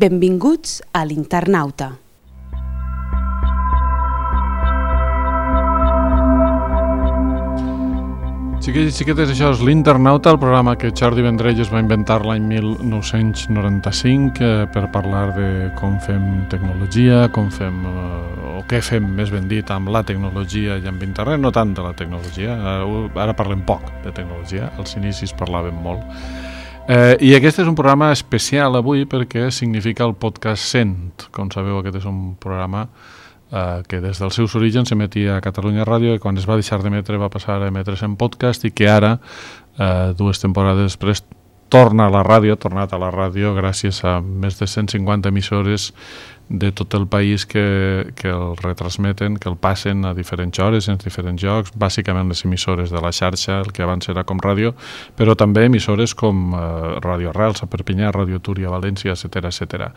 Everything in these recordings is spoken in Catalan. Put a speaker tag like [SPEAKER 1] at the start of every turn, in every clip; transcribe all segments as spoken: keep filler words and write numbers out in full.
[SPEAKER 1] Benvinguts a l'Internauta.
[SPEAKER 2] Xiquets i xiquetes, això és l'Internauta, el programa que Jordi Vendrell es va inventar l'any mil nou-cents noranta-cinc eh, per parlar de com fem tecnologia, com fem, eh, o què fem, més ben dit, amb la tecnologia i amb internet, no tant de la tecnologia, eh, ara parlem poc de tecnologia, als inicis parlàvem molt. Eh, I aquest és un programa especial avui perquè significa el podcast cent. Com sabeu, aquest és un programa Uh, que des dels seus orígens s'emetia a Catalunya Ràdio i quan es va deixar d'emetre va passar a emetre's en podcast i que ara, uh, dues temporades després, torna a la ràdio, ha tornat a la ràdio gràcies a més de cent cinquanta emissores de tot el país que, que el retransmeten, que el passen a diferents hores, en diferents llocs, bàsicament les emissores de la xarxa, el que abans era com ràdio, però també emissores com eh, Ràdio Arrels a Perpinyà, Ràdio Túria a València, etcètera, etcètera.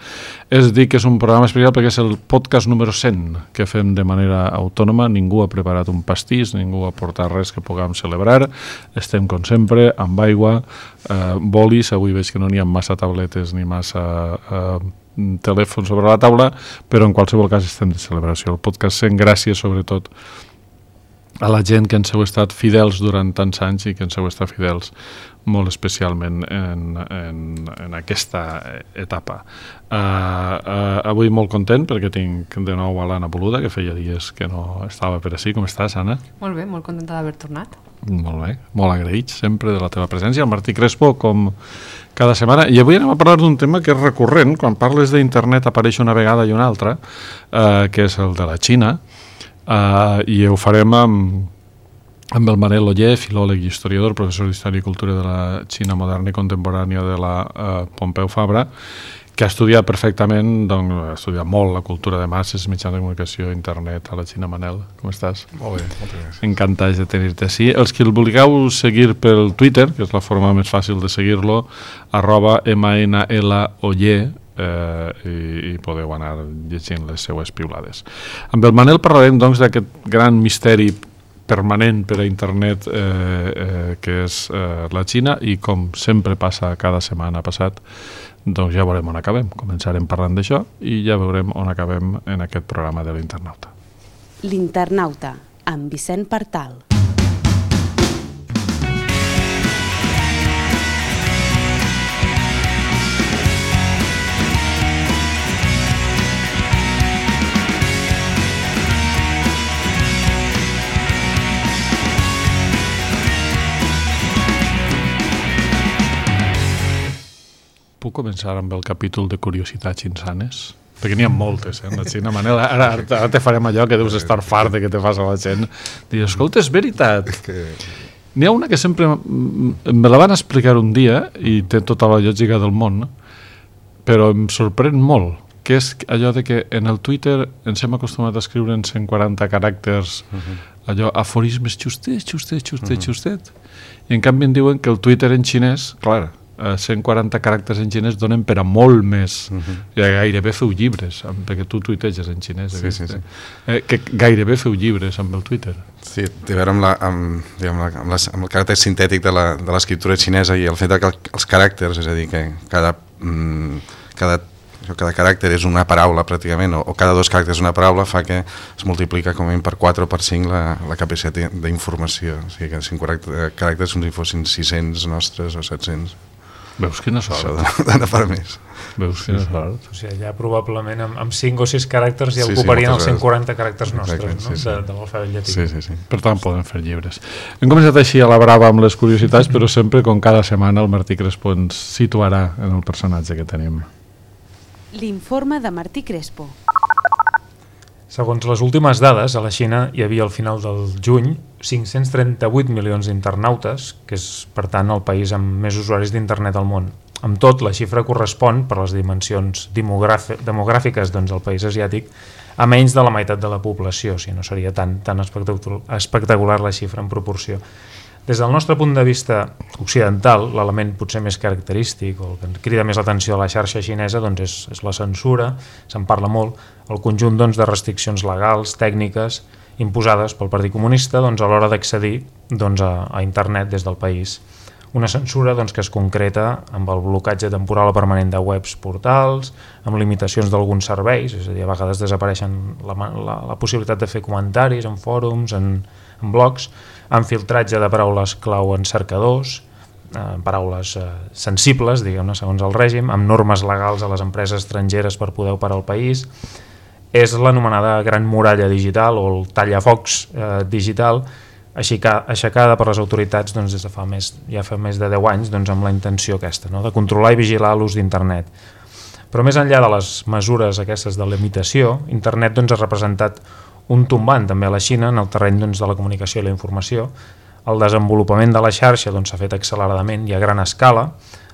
[SPEAKER 2] És dir que és un programa especial perquè és el podcast número cent que fem de manera autònoma, ningú ha preparat un pastís, ningú ha portat res que puguem celebrar, estem com sempre, amb aigua, eh, bolis, avui veig que no n'hi ha massa tabletes ni massa Eh, telèfon sobre la taula, però en qualsevol cas estem de celebració. El podcast cent, gràcies sobretot a la gent que ens heu estat fidels durant tants anys i que ens heu estat fidels molt especialment en, en, en aquesta etapa. Uh, uh, avui molt content perquè tinc de nou a l'Anna Boluda, que feia dies que no estava per ací. Com estàs, Anna?
[SPEAKER 3] Molt bé, molt contenta d'haver tornat.
[SPEAKER 2] Molt bé, molt agraït sempre de la teva presència. El Martí Crespo, com cada setmana. I avui anem a parlar d'un tema que és recurrent. Quan parles d'internet apareix una vegada i una altra, eh, que és el de la Xina, eh, i ho farem amb, amb el Manel Oller, filòleg i historiador, professor d'Història i Cultura de la Xina moderna i contemporània de la eh, Pompeu Fabra, que ha estudiat perfectament, doncs, ha estudiat molt la cultura de masses, mitjans de comunicació, internet, a la Xina. Manel, com estàs?
[SPEAKER 4] Molt bé, moltes gràcies.
[SPEAKER 2] Encantats de tenir-te així. Els que el vulgueu seguir pel Twitter, que és la forma més fàcil de seguir-lo, arroba mnloller, eh, i, i podeu anar llegint les seues piulades. Amb el Manel parlarem, doncs, d'aquest gran misteri permanent per a internet eh, eh, que és eh, la Xina, i com sempre passa cada setmana passat, doncs ja veurem on acabem. Començarem parlant d'això i ja veurem on acabem en aquest programa de l'Internauta.
[SPEAKER 1] L'Internauta, amb Vicent Partal.
[SPEAKER 2] Puc començar amb el capítol de curiositats insanes? Perquè n'hi ha moltes, eh, en la Xina. Manel, ara, ara te farem allò que deus estar fart de que te fas a la gent. Dius, escolta, és veritat. N'hi ha una que sempre me la van explicar un dia i té tota la lògica del món, però em sorprèn molt, que és allò de que en el Twitter ens hem acostumat a escriure en cent quaranta caràcters, allò, aforismes xustets, xustets, xustets, xustets, i en canvi em diuen que el Twitter en xinès, clar, cent quaranta caràcters en xinès donen per a molt més. Uh-huh. I gairebé feu llibres, perquè tu tuiteges en xinès.
[SPEAKER 4] Sí, sí, sí.
[SPEAKER 2] Eh, que gairebé feu llibres amb el Twitter.
[SPEAKER 4] Sí, té a veure amb, la, amb, diguem, la, amb, les, amb el caràcter sintètic de l'escriptura xinesa i el fet que els caràcters, és a dir, que cada, mm, cada, cada caràcter és una paraula pràcticament, o, o cada dos caràcters és una paraula, fa que es multiplica com a per quatre o per cinc la, la capacitat d'informació. O sigui que cinc caràcters com si fossin sis-cents nostres o set-cents.
[SPEAKER 2] Veus quina sort.
[SPEAKER 4] Això d'anar per més.
[SPEAKER 2] Veus quina sí, sort.
[SPEAKER 5] O sigui, ja probablement amb, amb cinc o sis caràcters ja sí, ocuparien sí, els cent quaranta caràcters nostres, exacte, no? Sí, sí. De, de l'alfabet llatí.
[SPEAKER 4] Sí, sí, sí.
[SPEAKER 2] Per tant, poden fer llibres. Hem començat així a la brava amb les curiositats, però sempre, com cada setmana, el Martí Crespo ens situarà en el personatge que tenim.
[SPEAKER 1] L'informe de Martí Crespo.
[SPEAKER 5] Segons les últimes dades, a la Xina hi havia al final del juny cinc-cents trenta-vuit milions d'internautes, que és, per tant, el país amb més usuaris d'internet al món. Amb tot, la xifra correspon, per les dimensions demogràfiques doncs, del país asiàtic, a menys de la meitat de la població, o sigui, no seria tan, tan espectacular la xifra en proporció. Des del nostre punt de vista occidental, l'element potser més característic o el que crida més l'atenció de la xarxa xinesa doncs és, és la censura, se'n parla molt, el conjunt doncs, de restriccions legals, tècniques, imposades pel Partit Comunista doncs, a l'hora d'accedir doncs, a, a internet des del país. una censura doncs, que es concreta amb el blocatge temporal o permanent de webs portals, amb limitacions d'alguns serveis, és a dir, a vegades desapareixen la, la, la possibilitat de fer comentaris en fòrums, en, en blogs, amb filtratge de paraules clau en cercadors, eh, paraules eh, sensibles, diguem-ne, segons el règim, amb normes legals a les empreses estrangeres per poder operar al país. És l'anomenada gran muralla digital o el tallafocs eh, digital, aixecada per les autoritats doncs, des de fa més, ja fa més de deu anys doncs, amb la intenció aquesta, no? De controlar i vigilar l'ús d'internet. Però més enllà de les mesures aquestes de limitació, internet doncs, ha representat un tombant també a la Xina en el terreny doncs, de la comunicació i la informació. El desenvolupament de la xarxa s'ha doncs, fet acceleradament i a gran escala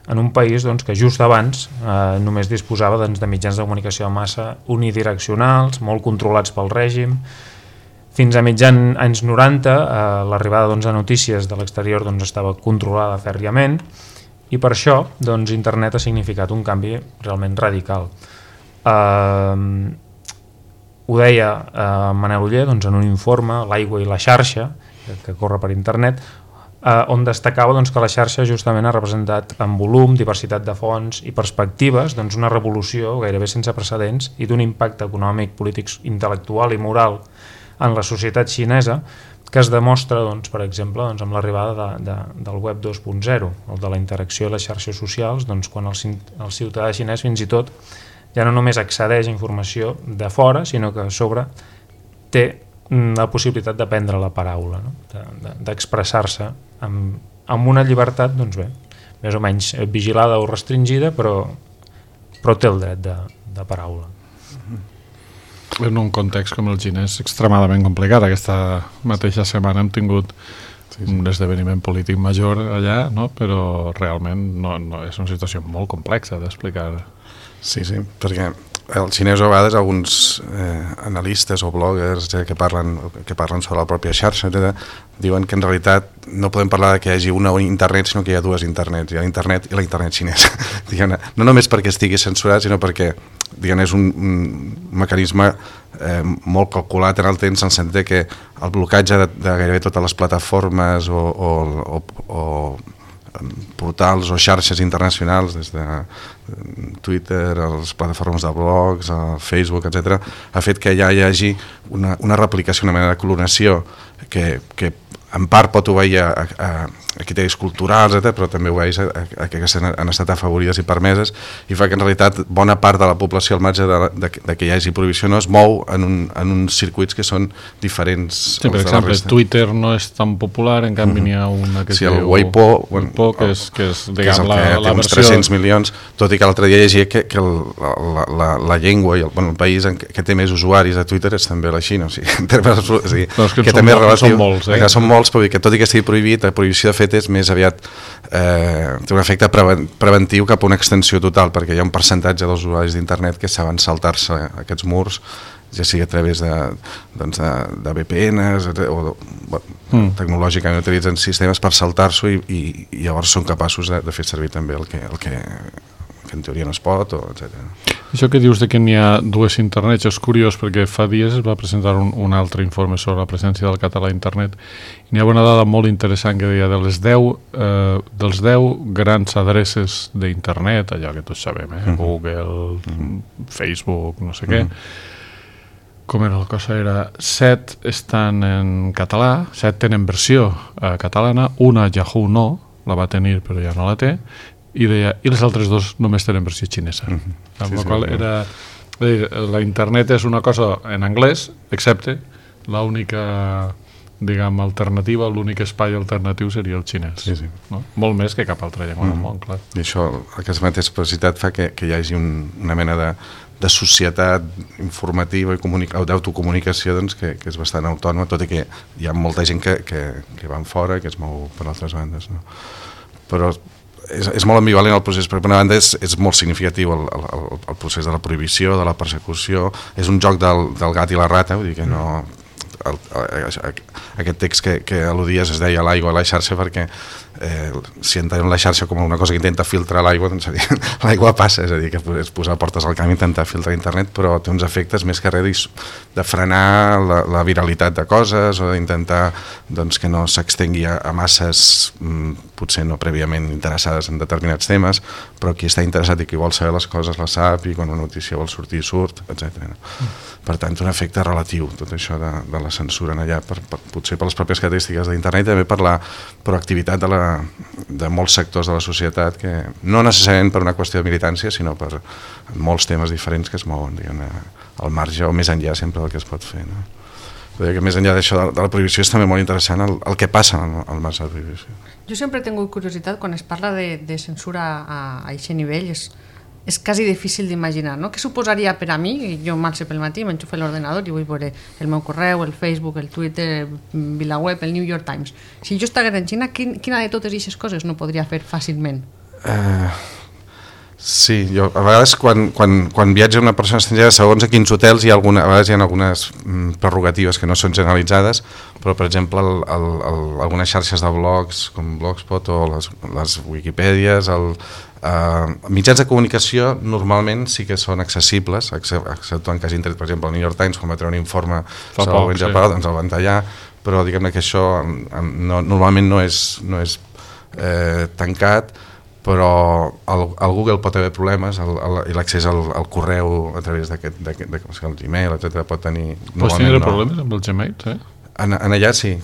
[SPEAKER 5] en un país doncs, que just abans eh, només disposava doncs, de mitjans de comunicació de massa unidireccionals, molt controlats pel règim. Fins a mitjan anys noranta, eh, l'arribada doncs, de notícies de l'exterior doncs, estava controlada fèrriament i per això doncs, internet ha significat un canvi realment radical. Eh, ho deia eh, Manel Oller doncs, en un informe, L'aigua i la xarxa, que, que corre per internet, eh, on destacava doncs, que la xarxa justament ha representat en volum, diversitat de fonts i perspectives doncs, una revolució gairebé sense precedents i d'un impacte econòmic, polític, intel·lectual i moral en la societat xinesa, que es demostra, doncs, per exemple, doncs, amb l'arribada de, de, del web dos punt zero, el de la interacció i les xarxes socials, doncs, quan el, el ciutadà xinès fins i tot ja no només accedeix a informació de fora, sinó que a sobre té la possibilitat de prendre la paraula, no? d'expressar-se de, de amb, amb una llibertat, doncs bé, més o menys vigilada o restringida, però, però té el dret de, de paraula.
[SPEAKER 2] En un context com el xinès extremadament complicat. Aquesta mateixa setmana hem tingut sí, sí. un esdeveniment polític major allà, no? Però realment no, no, és una situació molt complexa d'explicar.
[SPEAKER 4] Sí, sí, perquè el xinès a vegades alguns eh, analistes o bloggers eh, que, parlen, que parlen sobre la pròpia xarxa etcètera, diuen que en realitat no podem parlar de que hi hagi una internet, sinó que hi ha dues internets, hi ha l'internet i la internet xinesa. No només perquè estigui censurat, sinó perquè diguem, és un, un mecanisme eh, molt calculat en el temps, en el sentit que el blocatge de, de gairebé totes les plataformes o, o, o, o portals o xarxes internacionals, des de Twitter, a les plataformes de blogs, a Facebook, etcètera, ha fet que ja hi hagi una, una replicació, una mena de clonació que, que en part pot obeir a, a, a criteris culturals, etcètera, però també obeeix a, a, a que han estat afavorides i permeses, i fa que en realitat bona part de la població, al marge de, de, de que hi hagi prohibició, no es mou en, un, en uns circuits que són diferents.
[SPEAKER 2] Sí, per exemple, Twitter no és tan popular, en canvi mm-hmm. n'hi ha una que
[SPEAKER 4] sí,
[SPEAKER 2] es
[SPEAKER 4] el Weibo, bueno,
[SPEAKER 2] Weibo que és, que és, diguem, que és el
[SPEAKER 4] la,
[SPEAKER 2] que
[SPEAKER 4] la té uns tres-cents milions, tot i que l'altre dia llegia que, que el, la, la, la llengua i el, bueno, el país en que, que té més usuaris de Twitter és també la Xina, o sigui, en termes, o sigui,
[SPEAKER 2] no, que,
[SPEAKER 4] que
[SPEAKER 2] són,
[SPEAKER 4] també és relatiu,
[SPEAKER 2] són molts, eh?
[SPEAKER 4] que són molts, però que tot i que estigui prohibit, la prohibició de fet és més aviat eh, té un efecte preventiu cap a una extensió total, perquè hi ha un percentatge dels usuaris d'internet que saben saltar-se aquests murs, ja sigui a través de, doncs de, de V P Ns o bueno, mm. tecnològicament utilitzen sistemes per saltar-s'ho i, i, i llavors són capaços de, de fer servir també el que, el que, que en teoria no es pot, o etcètera.
[SPEAKER 2] Això que dius de que n'hi ha dues internets és curiós perquè fa dies es va presentar un, un altre informe sobre la presència del català a internet i n'hi ha una dada molt interessant que deia de les deu, eh, dels deu grans adreces d'internet, allò que tots sabem, eh? Mm-hmm. Google, mm-hmm. Facebook, no sé què, mm-hmm. com era la cosa, era set estan en català, set tenen versió eh, catalana, una Yahoo no, la va tenir però ja no la té, i deia, i les altres dos només tenen versió xinesa. Mm-hmm. Amb sí, la sí, qual era, dir, la internet és una cosa en anglès, excepte l'única, diguem, alternativa, l'únic espai alternatiu seria el xinès. Sí, sí. No? Molt més que cap altra llengua mm. del món, clar.
[SPEAKER 4] I això, aquesta mateixa capacitat fa que, que hi hagi un, una mena de, de societat informativa i d'autocomunicació doncs, que, que és bastant autònoma, tot i que hi ha molta gent que, que, que van fora, que es mou per altres bandes. No? Però és, és molt ambivalent el procés, perquè per una banda és, és molt significatiu el, el, el procés de la prohibició, de la persecució, és un joc del, del gat i la rata, vull dir que no... El, el, aquest text que, que al·ludies es deia l'aigua a la xarxa perquè eh, si entenem la xarxa com una cosa que intenta filtrar l'aigua, doncs l'aigua passa, és a dir, que és posar portes al camp i intentar filtrar internet, però té uns efectes més que res de frenar la, la viralitat de coses o d'intentar doncs, que no s'extengui a, a masses mm, potser no prèviament interessades en determinats temes, però qui està interessat i qui vol saber les coses la sap i quan una notícia vol sortir surt, etcètera. No? Mm. Per tant, un efecte relatiu, tot això de, de la censura en allà, per, per, potser per les pròpies característiques d'internet i també per la proactivitat de, la, de molts sectors de la societat, que no necessàriament per una qüestió de militància, sinó per molts temes diferents que es mouen, diguem, al marge o més enllà sempre del que es pot fer. No? Que més enllà d'això de la prohibició és també molt interessant el, el que passa al, al marge de la prohibició.
[SPEAKER 3] Jo sempre he tingut curiositat quan es parla de, de censura a aquest nivell, és, és quasi difícil d'imaginar, no? Què suposaria per a mi? Jo m'alce pel matí, m'enxufo l'ordenador i vull veure el meu correu, el Facebook, el Twitter, el VilaWeb, el New York Times. Si jo estigués en Xina, quin, quina de totes aquestes coses no podria fer fàcilment?
[SPEAKER 4] Uh, sí, jo a vegades quan, quan, quan viatja una persona estrangera, segons a quins hotels hi ha alguna, a vegades hi ha algunes mm, prerrogatives que no són generalitzades, però per exemple el, el, el, algunes xarxes de blogs com Blogspot o les, les Wikipèdies, el Uh, mitjans de comunicació normalment sí que són accessibles, excepte en cas intret, per exemple el New York Times quan va treure un informe
[SPEAKER 2] Fa
[SPEAKER 4] sobre
[SPEAKER 2] poc,
[SPEAKER 4] el
[SPEAKER 2] sí.
[SPEAKER 4] Japó, doncs el van tallar, però diguem-ne que això no, normalment no és, no és eh, tancat, però el, el Google pot haver problemes el, el, i l'accés al, al correu a través d'aquest, d'aquest, d'aquest el Gmail, etcètera, pot tenir...
[SPEAKER 2] Pots tenir
[SPEAKER 4] no.
[SPEAKER 2] problemes amb el Gmail, sí?
[SPEAKER 4] En, en allà sí,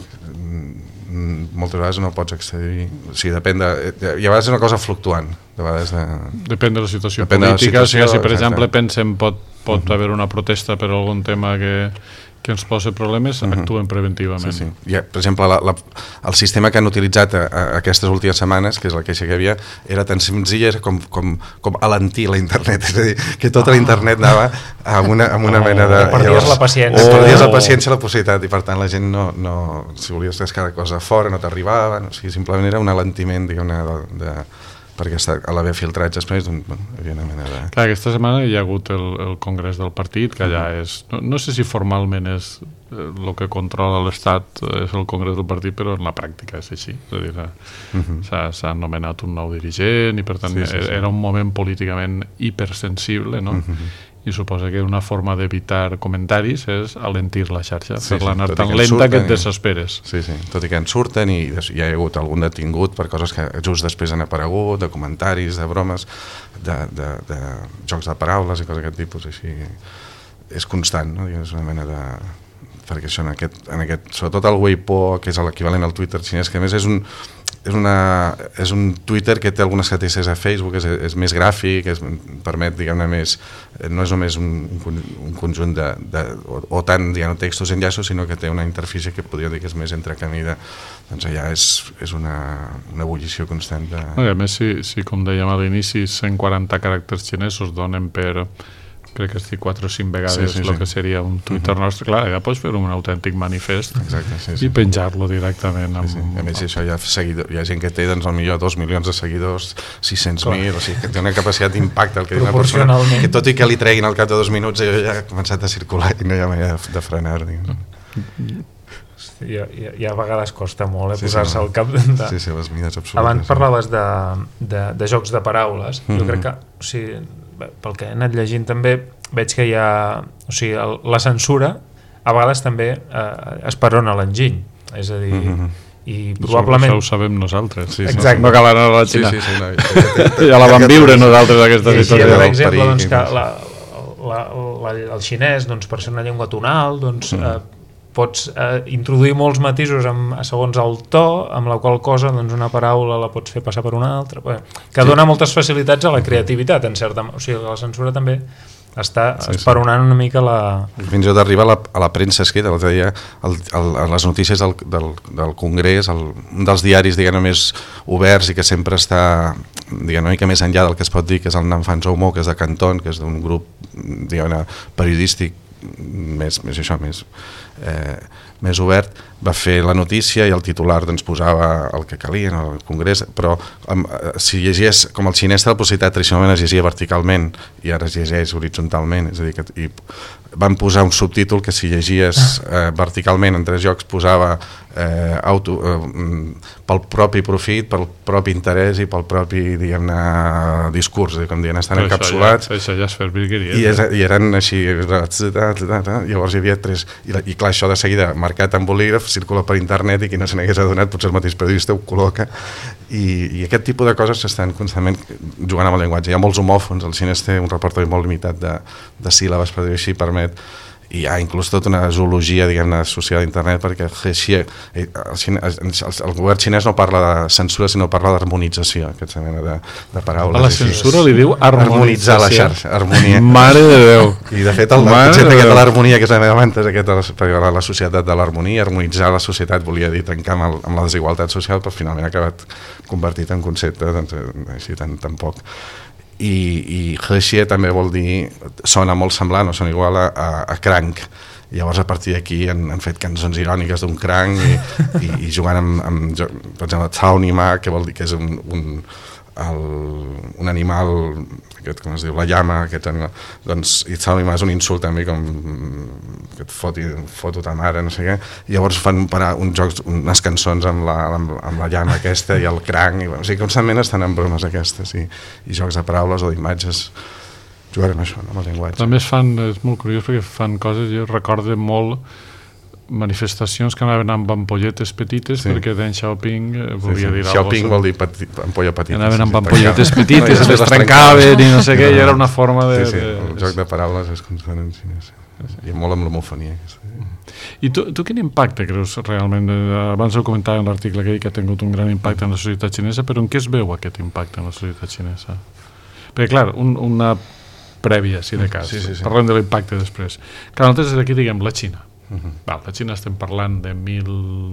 [SPEAKER 4] moltes vegades no pots accedir, o sigui, depèn de, i a vegades és una cosa fluctuant, de vegades de...
[SPEAKER 2] Depèn de la situació
[SPEAKER 4] Depèn
[SPEAKER 2] política,
[SPEAKER 4] de la situació,
[SPEAKER 2] o sigui, si per
[SPEAKER 4] exacte.
[SPEAKER 2] exemple pensem pot, pot
[SPEAKER 4] Uh-huh.
[SPEAKER 2] haver una protesta per algun tema que, que ens posa problemes,
[SPEAKER 4] Uh-huh.
[SPEAKER 2] actuen preventivament.
[SPEAKER 4] Sí, sí. I, per exemple, la, la, el sistema que han utilitzat a, a aquestes últimes setmanes, que és la queixa que hi havia, era tan senzill com, com, com alentir la internet, és a dir, que tota la internet anava amb una, amb una
[SPEAKER 5] Oh,
[SPEAKER 4] mena de...
[SPEAKER 5] perdies
[SPEAKER 4] llavors,
[SPEAKER 5] la paciència.
[SPEAKER 4] O perdies la
[SPEAKER 5] Oh.
[SPEAKER 4] paciència i la possibilitat, i per tant la gent no, no si volies cada cosa fora no t'arribava, o sigui, simplement era un alentiment, diguem-ne, de, de, perquè a l'haver filtrats després doncs, bueno, hi havia una mena de...
[SPEAKER 2] Clar, aquesta setmana hi ha hagut el, el congrés del partit, que allà
[SPEAKER 4] Uh-huh.
[SPEAKER 2] és... No, no sé si formalment és el que controla l'Estat, és el congrés del partit, però en la pràctica és així. És a dir,
[SPEAKER 4] Uh-huh.
[SPEAKER 2] s'ha nomenat un nou dirigent i per tant
[SPEAKER 4] Sí, sí, sí.
[SPEAKER 2] era un moment políticament hipersensible, no?
[SPEAKER 4] Uh-huh.
[SPEAKER 2] I suposa que una forma d'evitar comentaris és alentir la xarxa,
[SPEAKER 4] Sí,
[SPEAKER 2] fer-la
[SPEAKER 4] sí,
[SPEAKER 2] anar
[SPEAKER 4] tot i
[SPEAKER 2] tan
[SPEAKER 4] que en
[SPEAKER 2] lenta
[SPEAKER 4] surten
[SPEAKER 2] que et
[SPEAKER 4] i-
[SPEAKER 2] desesperes.
[SPEAKER 4] Sí, sí, tot i que en surten i des, hi ha hagut algun detingut per coses que just després han aparegut, de comentaris, de bromes, de, de, de jocs de paraules i coses d'aquest tipus, així és constant, no? És una mena de... perquè això en aquest, en aquest sobretot el Weibo, que és l'equivalent al Twitter xinès, que a més és un, és, una, és un Twitter que té algunes característiques a Facebook, és, és més gràfic, és, permet, diguem-ne, més, no és només un, un conjunt de, de o, o tant, diguem, textos i enllaços, sinó que té una interfície que podria dir que és més entrecamida, doncs allà és, és una, una ebullició constant de...
[SPEAKER 2] No, a més, si, si com dèiem a l'inici, cent quaranta caràcters xinesos donen per, crec que estic quatre o cinc vegades
[SPEAKER 4] Sí, sí,
[SPEAKER 2] el
[SPEAKER 4] sí.
[SPEAKER 2] que seria un Twitter
[SPEAKER 4] Uh-huh.
[SPEAKER 2] nostre, clar, ja pots fer un autèntic manifest
[SPEAKER 4] Exacte, sí, sí.
[SPEAKER 2] i penjar-lo directament. Amb...
[SPEAKER 4] Sí, sí. A més, això hi ha, seguidor, hi ha gent que té doncs, potser dos milions de seguidors, sis-cents mil, o sigui, que té una capacitat d'impacte el que una persona,
[SPEAKER 5] Proporcionalment.
[SPEAKER 4] que tot i que li treguin al cap de dos minuts ja ha començat a circular i no hi ha manera de, de frenar. Diguem.
[SPEAKER 5] I, i, i a vegades costa molt eh,
[SPEAKER 4] Sí, sí,
[SPEAKER 5] posar-se
[SPEAKER 4] no.
[SPEAKER 5] al cap de...
[SPEAKER 4] Sí, sí, les mides absolutes.
[SPEAKER 5] Abans parlaves de, de, de jocs de paraules. Jo
[SPEAKER 4] Mhm.
[SPEAKER 5] crec que, o sigui, bé, pel que he anat llegint també, veig que hi ha... O sigui, el, la censura a vegades també eh, esperona l'enginy. És a dir,
[SPEAKER 4] Mhm.
[SPEAKER 5] i
[SPEAKER 2] Això-
[SPEAKER 5] probablement...
[SPEAKER 2] Això ho sabem nosaltres.
[SPEAKER 4] Sí, sí,
[SPEAKER 5] Exacte.
[SPEAKER 2] No cal anar a la
[SPEAKER 4] Sí,
[SPEAKER 2] Xina.
[SPEAKER 4] sí, sí. No,
[SPEAKER 2] Ja la vam viure nosaltres, aquesta
[SPEAKER 5] I així,
[SPEAKER 2] situació.
[SPEAKER 5] per
[SPEAKER 4] del
[SPEAKER 5] exemple,
[SPEAKER 4] perill,
[SPEAKER 5] doncs, que
[SPEAKER 4] doncs.
[SPEAKER 5] la, la, la, el xinès, doncs, per ser una llengua tonal, doncs,
[SPEAKER 4] Mm.
[SPEAKER 5] eh, pots eh, introduir molts matisos amb, segons el to, amb la qual cosa doncs, una paraula la pots fer passar per una altra, bé, que
[SPEAKER 4] Sí.
[SPEAKER 5] dona moltes facilitats a la creativitat, en certa, o sigui, la censura també està
[SPEAKER 4] Sí, sí.
[SPEAKER 5] esperonant una mica la...
[SPEAKER 4] Fins i tot arriba a la, a la premsa escrita, l'altre dia, el, el, a les notícies del, del, del Congrés, el, un dels diaris diguem, més oberts i que sempre està diguem, una mica més enllà del que es pot dir, que és el Nanfan Zhoumo, que és de Canton, que és d'un grup diguem, periodístic més, més això, més, eh, més obert, va fer la notícia i el titular doncs, posava el que calia en el Congrés, però um, si llegies, com el xinès té la possibilitat, tradicionalment es llegia verticalment i ara es llegeix horitzontalment, és a dir, que i van posar un subtítol que si llegies eh, verticalment en tres llocs posava eh, auto, eh, pel propi profit, pel propi interès i pel propi, diguem-ne, discurs, com dient, estan
[SPEAKER 2] Però
[SPEAKER 4] encapsulats.
[SPEAKER 2] Això ja, això ja és fer virgueries.
[SPEAKER 4] I, és, I eren així, llavors hi havia tres, i, i clar, això de seguida, marcat en bolígraf, circula per internet i qui no se n'hagués adonat, potser el mateix periodista ho col·loca, i, i aquest tipus de coses s'estan constantment jugant amb el llenguatge. Hi ha molts homòfons, el xinès té un repertori molt limitat de, de síl·labes, per dir-ho així, permet, i hi ha inclús tota una zoologia, diguem-ne, associada a internet, perquè el, el, el govern xinès no parla de censura, sinó parla d'harmonització, aquesta mena de, de paraules.
[SPEAKER 2] A la censura li diu
[SPEAKER 4] harmonitzar la xarxa, harmonia.
[SPEAKER 2] Mare de Déu.
[SPEAKER 4] I de fet, el concepte aquest de l'harmonia, que és la meva manta, és aquest de la, la societat de l'harmonia, harmonitzar la societat, volia dir trencar amb, el, amb la desigualtat social, però finalment ha acabat convertit en concepte, doncs, així tan, tan poc. I, i Hexie també vol dir, sona molt semblant o sona igual a, a, a cranc. Llavors a partir d'aquí han, han fet cançons iròniques d'un cranc i, i, i jugant amb, amb per exemple, Tsaonima, que vol dir que és un, un, el, un animal, aquest, com es diu, la llama, aquest animal, doncs, i Tsaonima és un insult també, com que et foti, foto ta mare, no sé què, i llavors fan parar uns jocs, unes cançons amb la, amb, amb la llama aquesta i el cranc, i, bueno, o sigui, constantment estan en bromes aquestes i, i jocs de paraules o d'imatges jugant amb això, no, amb el llenguatge.
[SPEAKER 2] També es fan, és molt curiós perquè fan coses, jo recordo molt manifestacions que anaven amb ampolletes petites, sí, perquè Deng Xiaoping volia
[SPEAKER 4] sí, sí.
[SPEAKER 2] dir
[SPEAKER 4] Xiaoping vol dir peti, ampolla petita.
[SPEAKER 2] Anaven amb
[SPEAKER 4] sí,
[SPEAKER 2] ampolletes petites, no, les trencaven i no sé què, i era una forma de...
[SPEAKER 4] Sí, sí,
[SPEAKER 2] de...
[SPEAKER 4] el joc de paraules és constant en xinès. I molt amb l'homofonia.
[SPEAKER 2] I tu, tu quin impacte creus realment? Abans ho comentava en l'article que, que ha tingut un gran impacte en la societat xinesa, però en què es veu aquest impacte en la societat xinesa? Perquè, clar, un, una prèvia, si de cas, sí, sí, sí. Parlem de l'impacte després. Que nosaltres des d'aquí diguem la Xina. Uh-huh. Val, la Xina estem parlant de mil,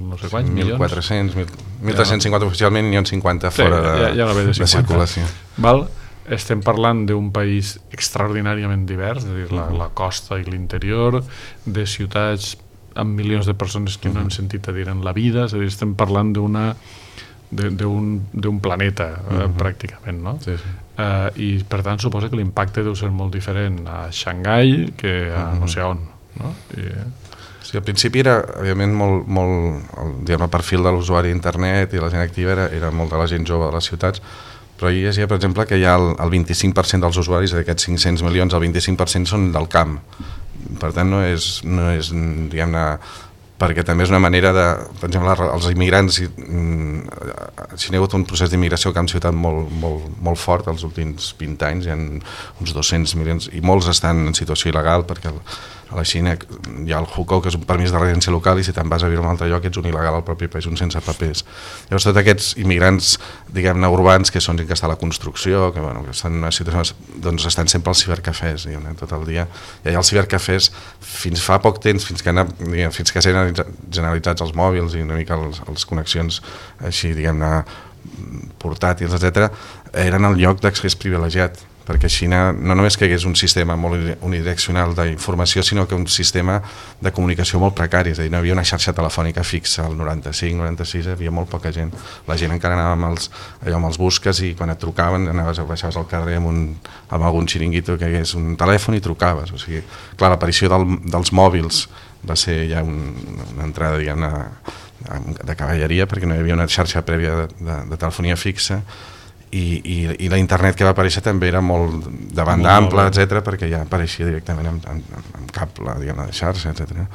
[SPEAKER 2] no sé quants, milions?
[SPEAKER 4] mil quatre-cents, mil tres-cents cinquanta oficialment, n'hi ha cinquanta fora de,
[SPEAKER 2] ja, ja de,
[SPEAKER 4] de circulació.
[SPEAKER 2] Val? Estem parlant d'un país extraordinàriament divers, és a dir, la, la costa i l'interior, de ciutats amb milions de persones que no hem sentit a dir en la vida, és a dir, estem parlant d'una d'un planeta, uh-huh, eh, pràcticament, no? Sí, sí. Uh, I per tant suposa que l'impacte deu ser molt diferent a Xangai que a uh-huh, no sé on, no? I,
[SPEAKER 4] sí, al principi era, òbviament, molt, molt el, diguem, el perfil de l'usuari d'internet i la gent activa era, era molt de la gent jove de les ciutats, però hi llegia, per exemple, que hi ha el, el vint-i-cinc per cent dels usuaris d'aquests cinc-cents milions, el vint-i-cinc per cent són del camp. Per tant, no és, no és diguem-ne, perquè també és una manera de, per exemple, els immigrants, si n'hi ha hagut un procés d'immigració a camp ciutat molt, molt, molt fort els últims vint anys, hi ha uns dos-cents milions, i molts estan en situació il·legal, perquè el, a la Xina hi ha el Hukou, que és un permís de residència local, i si te'n vas a viure a un altre lloc ets un il·legal al propi país, un sense papers. Llavors tots aquests immigrants, diguem-ne, urbans, que són gent que està a la construcció, que, bueno, que estan en una situació, doncs estan sempre als cibercafès, diguem-ne, tot el dia. I allà als cibercafès, fins fa poc temps, fins que, diguem, fins que s'han generalitzats els mòbils i una mica les, les connexions així, diguem-ne, portàtils, etcètera, eren el lloc d'accés privilegiat, perquè a Xina no només que hi hagués un sistema molt unidireccional d'informació, sinó que un sistema de comunicació molt precari, és a dir, no hi havia una xarxa telefònica fixa al noranta-cinc noranta-sis, hi havia molt poca gent. La gent encara anava amb els, allò, amb els busques i quan et trucaven anaves, baixaves al carrer amb, un, amb algun xiringuito que hi hagués un telèfon i trucaves. O sigui, clar, l'aparició del, dels mòbils va ser ja un, una entrada, diguem-ne, de cavalleria, perquè no hi havia una xarxa prèvia de, de, de telefonia fixa. I, i, i la internet que va aparèixer també era molt de banda molt ampla, etcètera, perquè ja apareixia directament amb, amb, amb cable, diguem-ne, de xarxa, etcètera.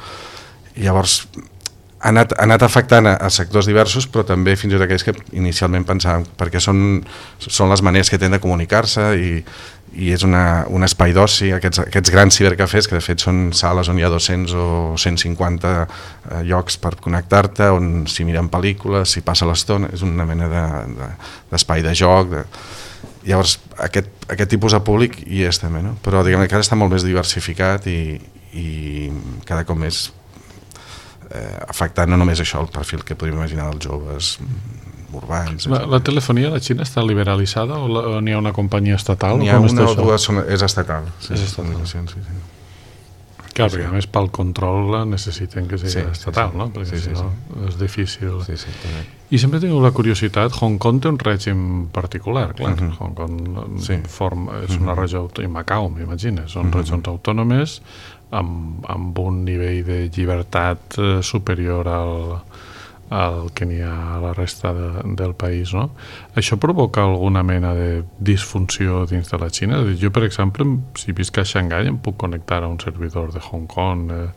[SPEAKER 4] I llavors ha anat, ha anat afectant a, a sectors diversos, però també fins i tot aquells que inicialment pensàvem, perquè són, són les maneres que tenen de comunicar-se i, i és una, un espai d'oci, aquests, aquests grans cibercafès, que de fet són sales on hi ha dos-cents o cent cinquanta eh, llocs per connectar-te, on s'hi miren pel·lícules, s'hi passa l'estona, és una mena de, de, d'espai de joc. De... Llavors, aquest, aquest tipus de públic hi és també, no? Però diguem que ara està molt més diversificat i, i cada cop més eh, afectant no només això, el perfil que podríem imaginar dels joves urbans.
[SPEAKER 2] La, la telefonia a la Xina està liberalitzada o, la, o n'hi ha una companyia estatal?
[SPEAKER 4] N'hi ha una o dues, són, és estatal. Sí,
[SPEAKER 2] és estatal.
[SPEAKER 4] Sí, sí.
[SPEAKER 2] Clar, perquè a més pel control necessiten que sigui sí, estatal, sí, sí. No? Perquè
[SPEAKER 4] sí, sí,
[SPEAKER 2] si no
[SPEAKER 4] sí.
[SPEAKER 2] és difícil.
[SPEAKER 4] Sí, sí,
[SPEAKER 2] I sempre he tingut la curiositat, Hong Kong té un règim particular, clar. Uh-huh. Hong Kong
[SPEAKER 4] sí.
[SPEAKER 2] forma, és una regió, i Macau, m'imagines, són uh-huh. regions autònomes amb, amb un nivell de llibertat superior al al que n'hi ha a la resta de, del país, no? Això provoca alguna mena de disfunció dins de la Xina? Jo, per exemple, si visc a Xangai em puc connectar a un servidor de Hong Kong, eh,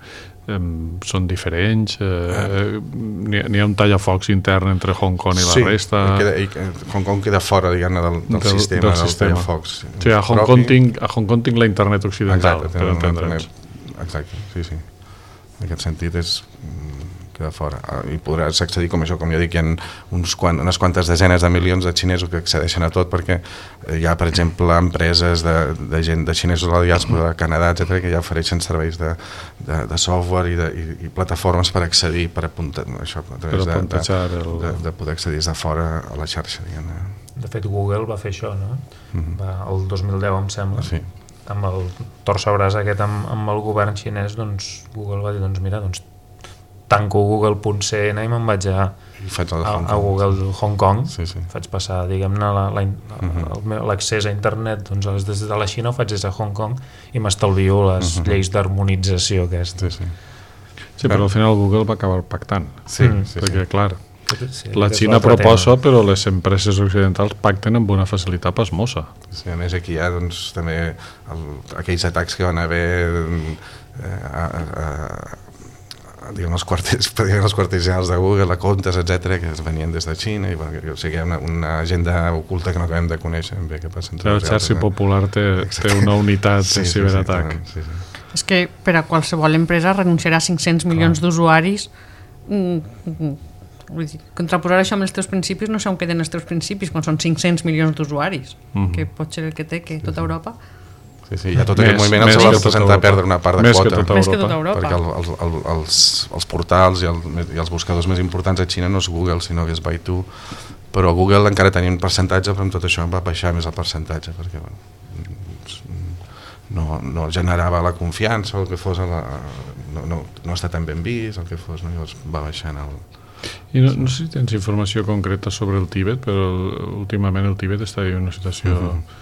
[SPEAKER 2] eh, són diferents, eh, n'hi, n'hi ha un tallafocs intern entre Hong Kong i la
[SPEAKER 4] sí,
[SPEAKER 2] resta.
[SPEAKER 4] Queda, i Hong Kong queda fora, diguem-ne, del, del, del sistema, del, del tallafocs.
[SPEAKER 2] Sí, a Hong, Kong tinc, a Hong Kong tinc la internet occidental,
[SPEAKER 4] exacte,
[SPEAKER 2] per entendre'ns.
[SPEAKER 4] Exacte, sí, sí. En aquest sentit és queda fora. I podràs accedir, com això, com ja dic, hi ha uns quant, unes quantes desenes de milions de xinesos que accedeixen a tot, perquè hi ha, per exemple, empreses de, de gent de xinesos a la diàspora de Canadà, etcètera, que ja ofereixen serveis de, de, de software i, de, i, i plataformes per accedir, per apuntar, això, a través de, de, el... de, de poder accedir des de fora a la xarxa, diguem-ne.
[SPEAKER 5] De fet, Google va fer això, no? Mm-hmm. Va, el dos mil deu, em sembla.
[SPEAKER 4] Sí.
[SPEAKER 5] Amb el torcebràs aquest amb, amb el govern xinès, doncs Google va dir, doncs mira, doncs tanco google punt c n i me'n vaig a, a, a Google Hong Kong, sí, sí. Faig passar, diguem-ne, l'accés a internet, doncs des de la Xina ho faig des de Hong Kong i m'estalvio les uh-huh. lleis d'harmonització aquestes.
[SPEAKER 2] Sí, sí. sí, però al final Google va acabar pactant,
[SPEAKER 4] sí, mm. sí,
[SPEAKER 2] perquè
[SPEAKER 4] sí.
[SPEAKER 2] clar,
[SPEAKER 5] sí,
[SPEAKER 2] la Xina proposa, tema. Però les empreses occidentals pacten amb una facilitat pasmosa.
[SPEAKER 4] Sí, a més aquí hi ha doncs, també el, aquells atacs que van haver eh, a, a, diguem, els quarters, diguem, els quarters generals de Google, a comptes, etcètera, que venien des de Xina, i bueno, o sigui, hi ha una, una agenda oculta que no acabem de conèixer ben bé què passa.
[SPEAKER 2] El Xarxi Popular té, té una unitat sí, de ciberatac.
[SPEAKER 4] Sí, sí, sí.
[SPEAKER 3] És que per a qualsevol empresa renunciarà a cinc-cents milions Clar. D'usuaris. Mm, vull dir, contraposar això amb els teus principis, no sé on queden els teus principis quan són cinc-cents milions d'usuaris, mm-hmm. que pot ser el que té, que tota sí, sí. Europa...
[SPEAKER 4] Sí, sí, hi ha tot aquest moviment el que va representar perdre una part de
[SPEAKER 2] més
[SPEAKER 4] quota.
[SPEAKER 2] Que tota
[SPEAKER 3] més que tota Europa.
[SPEAKER 4] Perquè el, el, el, els, els portals i, el, i els buscadors més importants a Xina no és Google, sinó que és Baidu. Però Google encara tenia un percentatge, però amb tot això va baixar més el percentatge, perquè bueno, no, no generava la confiança, o el que fos, la, no, no, no està tan ben vist, el que fos, no? Llavors va baixant el...
[SPEAKER 2] I no, no sé si tens informació concreta sobre el Tíbet, però últimament el Tíbet està en una situació... Uh-huh.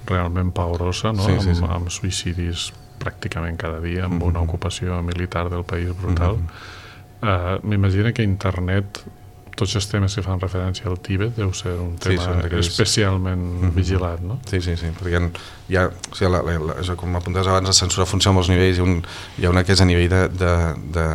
[SPEAKER 2] realment pavorosa, no? Sí, sí, sí. Amb, amb suïcidis pràcticament cada dia, amb mm-hmm. una ocupació militar del país brutal. Mm-hmm. Uh, M'imagino que internet, tots els temes que fan referència al Tíbet, deu ser un tema sí, especialment mm-hmm. vigilat, no?
[SPEAKER 4] Sí, sí, sí, perquè hi ha, hi ha o sigui, la, la, la, com apuntaves abans, la censura funciona a molts nivells, hi ha, un, hi ha una que és a nivell de, de, de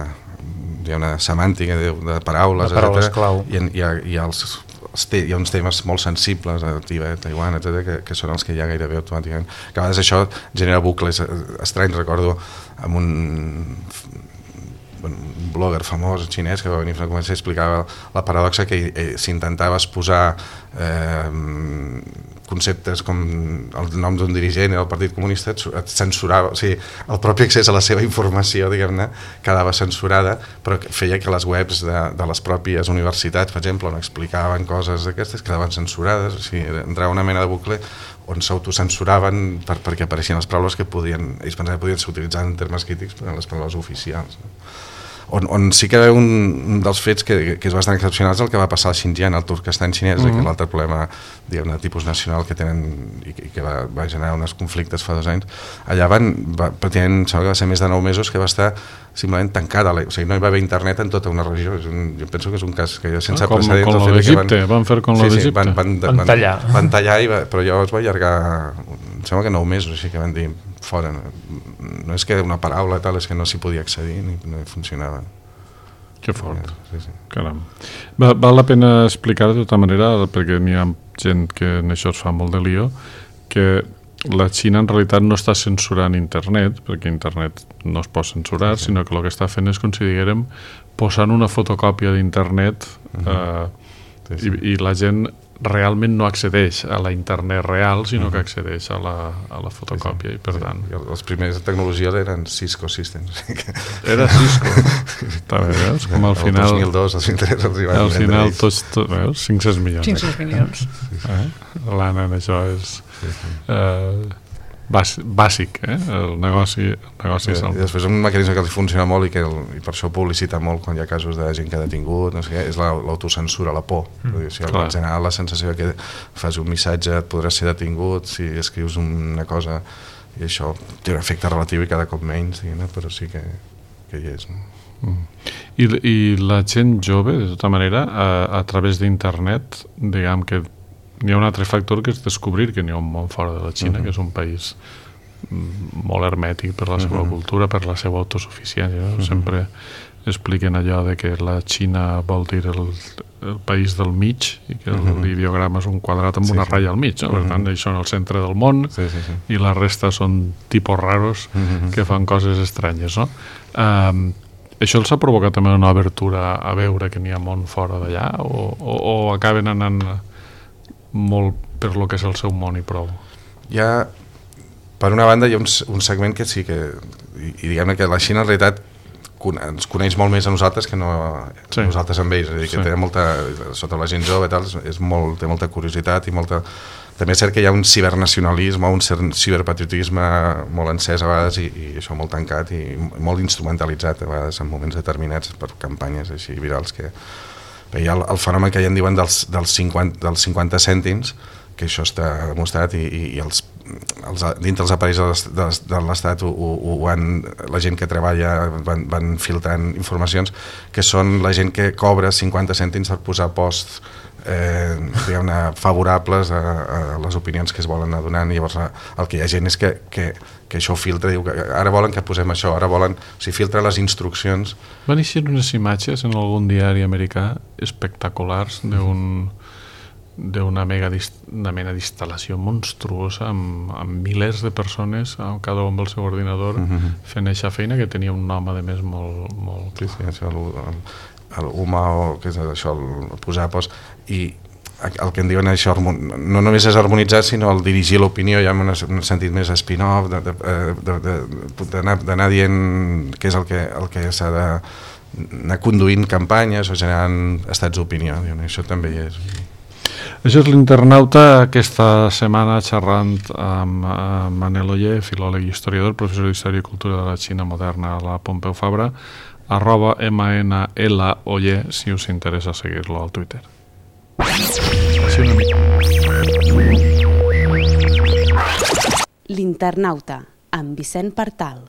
[SPEAKER 4] hi ha una semàntica de, de paraules,
[SPEAKER 5] de paraules clau.
[SPEAKER 4] I hi ha, hi ha els hi ha uns temes molt sensibles a Tibet, Taiwan, etcètera, que, que són els que hi ha gairebé automàticament. Que a vegades això genera bucles estranys. Recordo amb un, un blogger famós xinès que va venir a començar a explicar la paradoxa que eh, s'intentava exposar eh, conceptes com el nom d'un dirigent del Partit Comunista, et censurava, o sigui, el propi accés a la seva informació, diguem-ne, quedava censurada, però feia que les webs de, de les pròpies universitats, per exemple, on explicaven coses d'aquestes, quedaven censurades, o sigui, entrava una mena de bucle on s'autocensuraven per, perquè apareixien les paraules que podien, ells pensaven que podien ser utilitzades en termes crítics, però les paraules oficials, no? On, on sí que un, un dels fets que, que és bastant excepcional és el que va passar al Xinjiang, al Turkestan xinès, mm-hmm. que és l'altre problema, diguem-ne, de tipus nacional que tenen i que, i que va, va generar uns conflictes fa dos anys. Allà van, va, pràcticament, sembla que va ser més de nou mesos que va estar simplement tancada, o sigui, no hi va haver internet en tota una regió. És un, jo penso que és un cas que sense
[SPEAKER 2] ah, com,
[SPEAKER 4] precedents.
[SPEAKER 2] Com el d'Egipte, van, van fer com
[SPEAKER 4] sí,
[SPEAKER 2] l'Egipte.
[SPEAKER 4] Sí, van, van,
[SPEAKER 5] van, van tallar.
[SPEAKER 4] Van, van tallar, i va, però llavors va allargar, em sembla que nou mesos, així que van dir, fora, no, no és que una paraula tal, és que no s'hi podia accedir, ni no funcionava.
[SPEAKER 2] Que fort,
[SPEAKER 4] sí, sí.
[SPEAKER 2] Caram. Va, val la pena explicar de tota manera, perquè n'hi ha gent que en això es fa molt de lío, que la Xina en realitat no està censurant internet, perquè internet no es pot censurar, sí, sí. sinó que el que està fent és, com si diguérem, posant una fotocòpia d'internet uh-huh. eh, sí, sí. I, i la gent realment no accedeix a la internet real, sinó uh-huh. que accedeix a la, a la fotocòpia, sí, sí. i per sí. tant...
[SPEAKER 4] I els primers de tecnologia eren Cisco Systems.
[SPEAKER 2] Era Cisco. També, veus? Com al final...
[SPEAKER 4] El dos mil dos, els interès els hi van
[SPEAKER 2] al final, tots, tots, veus? cinc-cents milions.
[SPEAKER 3] cinc-cents milions.
[SPEAKER 2] Eh? L'Anna en això és... Sí, sí. Eh, bàsic, eh? el negoci, el negoci
[SPEAKER 4] sí,
[SPEAKER 2] és el...
[SPEAKER 4] I després un mecanisme que els funciona molt i que el, i per això publicita molt quan hi ha casos de gent que ha detingut, no sé què, és la, l'autocensura, la por. Mm, dir, si en general la sensació que fas un missatge et podràs ser detingut, si escrius una cosa i això té un efecte relatiu i cada cop menys, diguem, però sí que, que hi és. No?
[SPEAKER 2] Mm. I, i la gent jove, de tota manera, a, a través d'internet, diguem que hi ha un altre factor que és descobrir que n'hi ha un món fora de la Xina, uh-huh. que és un país molt hermètic per la seva uh-huh. cultura, per la seva autosuficiència. No? Uh-huh. Sempre expliquen allò de que la Xina vol dir el, el país del mig i que uh-huh. l'ideograma és un quadrat amb sí, una ratlla al mig. No? Per uh-huh. tant, això en el centre del món sí, sí, sí. i la resta són tipus raros uh-huh. que fan coses estranyes. No? Um, això els ha provocat també una obertura a veure que n'hi ha món fora d'allà o, o, o acaben anant molt per lo que és el seu món i prou?
[SPEAKER 4] Hi ha, per una banda, hi ha un, un segment que sí que, i, i diguem-ne que la Xina en realitat ens coneix molt més a nosaltres que no sí. nosaltres amb ells, és a dir, que sí. té molta, sota la gent jove i tal, és molt, té molta curiositat i molta... També és cert que hi ha un cibernacionalisme, un ciberpatriotisme molt encès a vegades i, i això molt tancat i molt instrumentalitzat a vegades en moments determinats per campanyes així virals que... Hi ha el, el fenomen que ja en diuen dels, dels, cinquanta, dels cinquanta cèntims, que això està demostrat i, i, i els, els, dintre els aparells de l'Estat ho, ho, ho van, la gent que treballa van, van filtrant informacions que són la gent que cobra cinquanta cèntims per posar posts eh, diguem-ne favorables a, a les opinions que es volen anar donant i llavors el que hi ha gent és que, que, que això ho filtra, diu que ara volen que posem això, ara volen, o sigui, filtra les instruccions.
[SPEAKER 2] Van eixir unes imatges en algun diari americà espectaculars d'un d'una mega una mena d'instal·lació monstruosa amb, amb milers de persones, cada un amb el seu ordinador, uh-huh. fent aquesta feina que tenia un nom, a més, molt... molt...
[SPEAKER 4] Sí, sí, això, el, el, el U M A, o què és això, el posar post, i el que en diuen això, no només és harmonitzar, sinó el dirigir l'opinió, ja en un sentit més spin-off, d'anar dient què és el que, el que s'ha d'anar conduint campanyes o generant estats d'opinió, això també hi és...
[SPEAKER 2] Això és l'Internauta, aquesta setmana xerrant amb Manel Oller, filòleg i historiador, professor d'Història i Cultura de la Xina Moderna a la Pompeu Fabra, arroba M N L Oller, si us interessa seguir-lo al Twitter.
[SPEAKER 1] L'Internauta, amb Vicent Partal.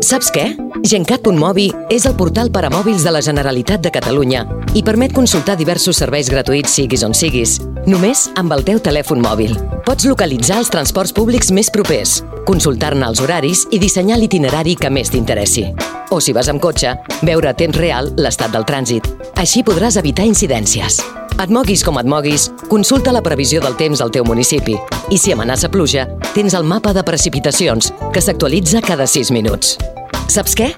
[SPEAKER 6] Saps què? Gencat punt mobi és el portal per a mòbils de la Generalitat de Catalunya i permet consultar diversos serveis gratuïts siguis on siguis, només amb el teu telèfon mòbil. Pots localitzar els transports públics més propers, consultar-ne els horaris i dissenyar l'itinerari que més t'interessi. O si vas amb cotxe, veure a temps real l'estat del trànsit. Així podràs evitar incidències. Et moguis com et moguis, consulta la previsió del temps al teu municipi i si amenaça pluja, tens el mapa de precipitacions, que s'actualitza cada sis minuts. Saps què?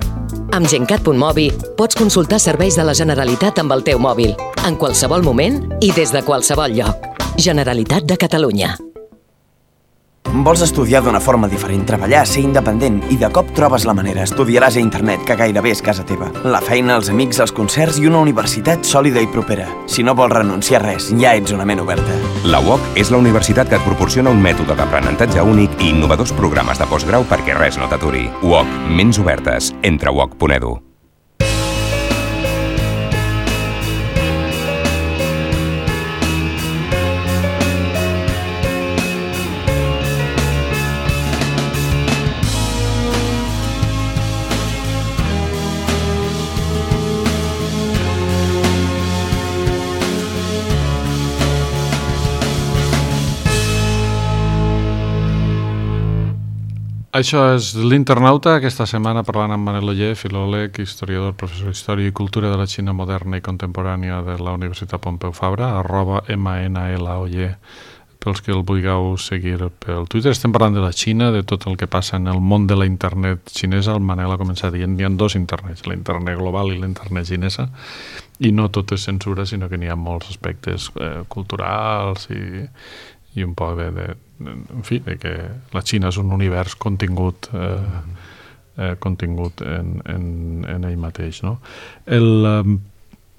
[SPEAKER 6] Amb Gencat punt mobi pots consultar serveis de la Generalitat amb el teu mòbil, en qualsevol moment i des de qualsevol lloc. Generalitat de Catalunya.
[SPEAKER 7] Vols estudiar d'una forma diferent, treballar, ser independent i de cop trobes la manera. Estudiaràs a internet, que gairebé és casa teva. La feina, els amics, els concerts i una universitat sòlida i propera. Si no vols renunciar a res, ja ets una ment oberta.
[SPEAKER 8] La U O C és la universitat que et proporciona un mètode d'aprenentatge únic i innovadors programes de postgrau perquè res no t'aturi. U O C, ments obertes. Entra a u o c punt e d u.
[SPEAKER 2] Això és l'Internauta, aquesta setmana parlant amb Manel Oller, filòleg, historiador, professor d'Història i Cultura de la Xina Moderna i Contemporània de la Universitat Pompeu Fabra, arroba M N L Oller, pels que el vulgueu seguir pel Twitter. Estem parlant de la Xina, de tot el que passa en el món de la internet xinesa. El Manel ha començat dient que hi ha dos internets, la internet global i la internet xinesa, i no tot és censura, sinó que n'hi ha molts aspectes eh, culturals i, i un poc de... de en fi, de que la Xina és un univers contingut eh, eh, contingut en, en, en ell mateix, no? El, eh,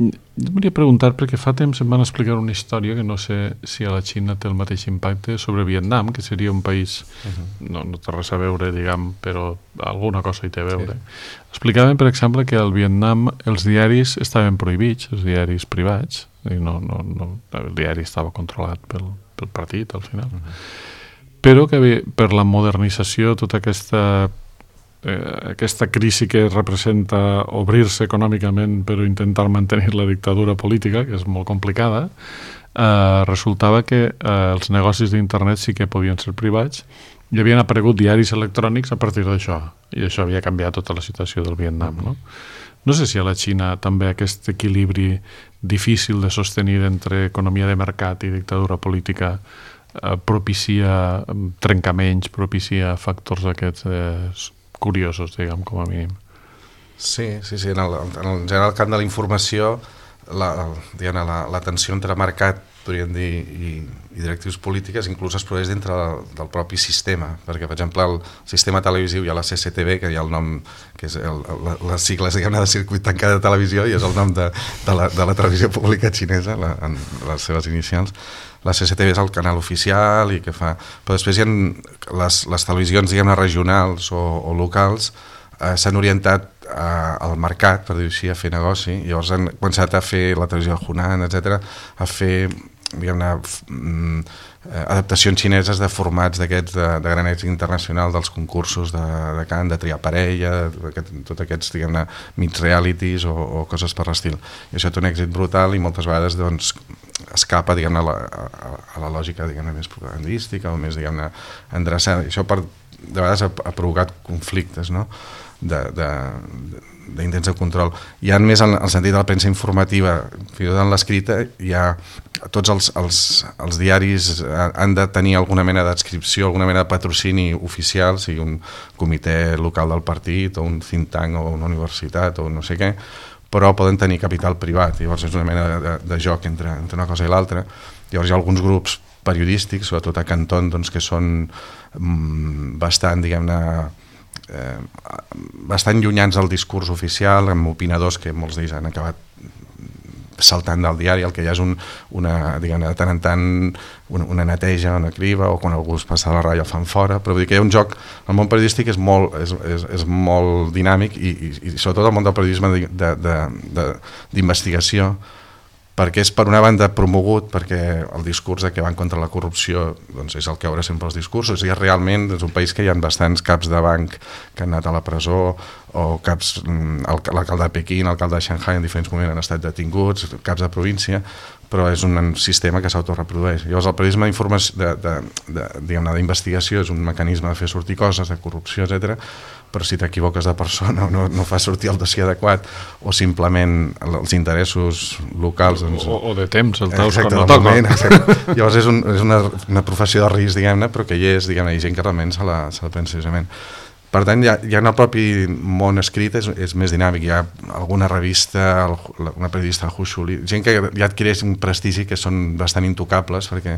[SPEAKER 2] jo volia preguntar, perquè fa temps em van explicar una història que no sé si a la Xina té el mateix impacte sobre Vietnam, que seria un país uh-huh. no, no té res a veure, diguem, però alguna cosa hi té a veure. Sí. Explicaven, per exemple, que al Vietnam els diaris estaven prohibits, els diaris privats, i no, no, no, el diari estava controlat pel pel partit al final, uh-huh. però que per la modernització, tota aquesta eh, aquesta crisi que representa obrir-se econòmicament però intentar mantenir la dictadura política, que és molt complicada, eh, resultava que eh, els negocis d'internet sí que podien ser privats i havien aparegut diaris electrònics a partir d'això, i això havia canviat tota la situació del Vietnam, no? No sé si a la Xina també aquest equilibri difícil de sostenir entre economia de mercat i dictadura política eh, propicia trencaments, propicia factors aquests eh, curiosos, diguem, com a mínim.
[SPEAKER 4] Sí, sí, sí. En el, en el general camp de la informació, la, diguem, la, la tensió entre mercat, podríem dir, i, i directius polítiques inclús es produeix dintre del, del propi sistema, perquè, per exemple, el sistema televisiu hi ha la C C T V, que hi ha el nom, que és el, el, les sigles, diguem-ne, de circuit tancat de televisió, i és el nom de, de, la, de la televisió pública xinesa, la, en les seves inicials. La C C T V és el canal oficial i que fa... Però després hi ha les, les televisions, diguem-ne, regionals o, o locals, eh, s'han orientat a, al mercat, per dir-ho així, a fer negoci, i llavors han començat a fer la televisió de Hunan, etcètera, a fer, diguem-ne, adaptacions xineses de formats d'aquests de, de gran èxit internacional, dels concursos de, de cant, de triar parella, aquest, tots aquests, diguem-ne, mix realities o, o coses per l'estil. I això té un èxit brutal i moltes vegades, doncs, escapa, diguem-ne, a, a, a la lògica, diguem-ne, més propagandística o més, diguem-ne, endreçada. I això, per, de vegades, ha, ha provocat conflictes, no?, d'intents de, de, de control. Hi ha més en el sentit de la premsa informativa, fins i tot en l'escrita, hi ha tots els, els, els diaris han de tenir alguna mena d'adscripció, alguna mena de patrocini oficial, sigui un comitè local del partit o un think tank o una universitat o no sé què, però poden tenir capital privat, llavors és una mena de, de joc entre, entre una cosa i l'altra. Llavors hi ha alguns grups periodístics, sobretot a Canton, doncs, que són mm, bastant, diguem-ne, Eh, bastant llunyans del discurs oficial, amb opinadors que molts d'ells han acabat saltant del diari. El que hi ha és un, una, diguem-ne, de tant en tant una, una neteja, una criba, o quan algú es passa a la ratlla el fan fora, però vull dir que hi ha un joc, el món periodístic és molt, és, és, és molt dinàmic i, i, i sobretot el món del periodisme d'investigació, perquè és per una banda promogut, perquè el discurs de que van contra la corrupció doncs és el que haurà sempre els discursos, i és realment és un país que hi ha bastants caps de banc que han anat a la presó, o caps, l'alcalde de Pequín, l'alcalde de Shanghai en diferents moments han estat detinguts, caps de província, però és un sistema que s'autoreprodueix. Llavors el periodisme d'investigació és un mecanisme de fer sortir coses, de corrupció, etcètera, però si t'equivoques de persona o no, no fa sortir el dossier adequat, o simplement els interessos locals... Doncs,
[SPEAKER 2] o, o de temps, el taus
[SPEAKER 4] quan
[SPEAKER 2] no
[SPEAKER 4] toca. Llavors és, un, és una, una professió de risc, diguem-ne, però que hi és, diguem-ne, hi ha gent que realment se la, se la pensa seriosament. Per tant, ja, ja en el propi món escrit és, és més dinàmic. Hi ha alguna revista, una periodista, el Hu Shuli, gent que ja adquireix un prestigi que són bastant intocables perquè,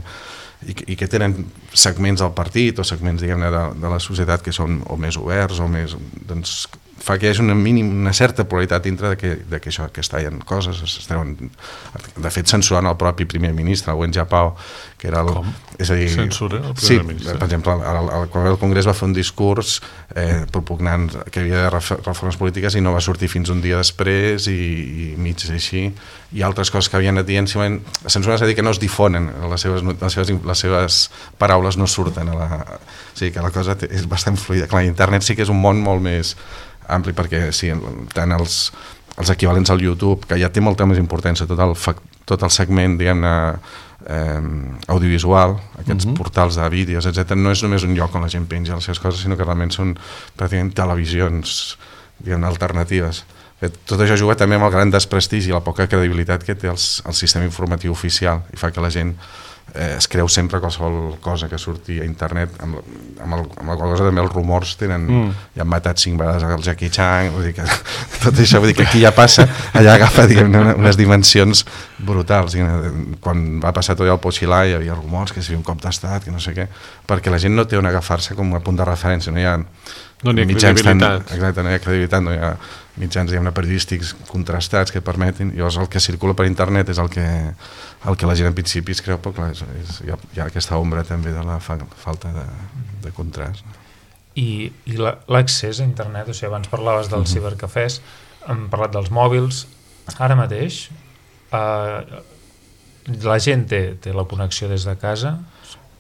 [SPEAKER 4] i, i que tenen segments del partit o segments, diguem-ne, de, de la societat que són o més oberts o més... Doncs, fa que hi hagi una, mínim, una certa pluralitat dintre de que, de que això que es tallen coses, es treuen, de fet censurant el propi primer ministre, el Wen Jiabao, que era el...
[SPEAKER 2] Com?
[SPEAKER 4] És a dir,
[SPEAKER 2] censura el primer
[SPEAKER 4] sí,
[SPEAKER 2] ministre?
[SPEAKER 4] Per exemple, el, el, el, el Congrés va fer un discurs eh, propugnant que hi havia reformes polítiques i no va sortir fins un dia després i, i mig així, i altres coses que havien anat dient, simplement, la censura és a dir que no es difonen, les seves, les seves, les seves paraules no surten a la... O sigui que la cosa és bastant fluida. Clar, internet sí que és un món molt més ampli, perquè sí, tant els, els equivalents al YouTube, que ja té molta més importància, tot el, tot el segment, diguem-ne, eh, audiovisual, aquests uh-huh. portals de vídeos, etcètera, no és només un lloc on la gent penja les seves coses, sinó que realment són pràcticament televisions, diguem-ne, alternatives. Tot això juga també amb el gran desprestigi i la poca credibilitat que té els, el sistema informatiu oficial, i fa que la gent eh, es creu sempre qualsevol cosa que surti a internet, amb, amb, el, amb la qual cosa també els rumors tenen, mm. ja han matat cinc vegades el Jackie Chan, vull dir que tot això, vull dir que aquí ja passa, allà agafa, diguem-ne, unes dimensions brutals. Quan va passar tot el Pochilà hi havia rumors que seria un cop d'estat, que no sé què, perquè la gent no té on agafar-se com a punt de referència, no hi ha...
[SPEAKER 2] No hi ha
[SPEAKER 4] mitjans
[SPEAKER 2] credibilitat.
[SPEAKER 4] Tan, exacte, no hi ha credibilitat, no hi ha mitjans, diguem-ne, periodístics contrastats que permetin, llavors el que circula per internet és el que, el que la gent en principi es creu, però clar, és, és, hi, ha, hi ha aquesta ombra també de la fa, falta de, de contrast.
[SPEAKER 5] I, i l'accés a internet, o sigui, abans parlaves dels uh-huh. cibercafès, hem parlat dels mòbils, ara mateix eh, la gent té, té la connexió des de casa.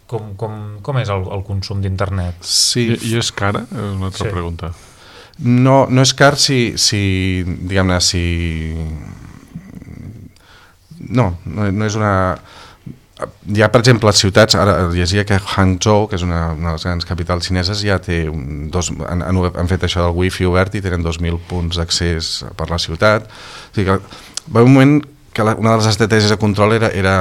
[SPEAKER 5] Com, com, com és el, el consum d'internet?
[SPEAKER 4] Sí.
[SPEAKER 2] I, I és cara? És una altra
[SPEAKER 5] sí.
[SPEAKER 2] pregunta.
[SPEAKER 4] No, no és car si, si diguem-ne, si... No, no, no és una... Hi ha, per exemple, ciutats, ara llegia que Hangzhou, que és una, una de les grans capitals xineses, ja té un, dos, han, han fet això del wifi obert i tenen dos mil punts d'accés per la ciutat. O sigui que va un moment que la, una de les estratègies de control era, era,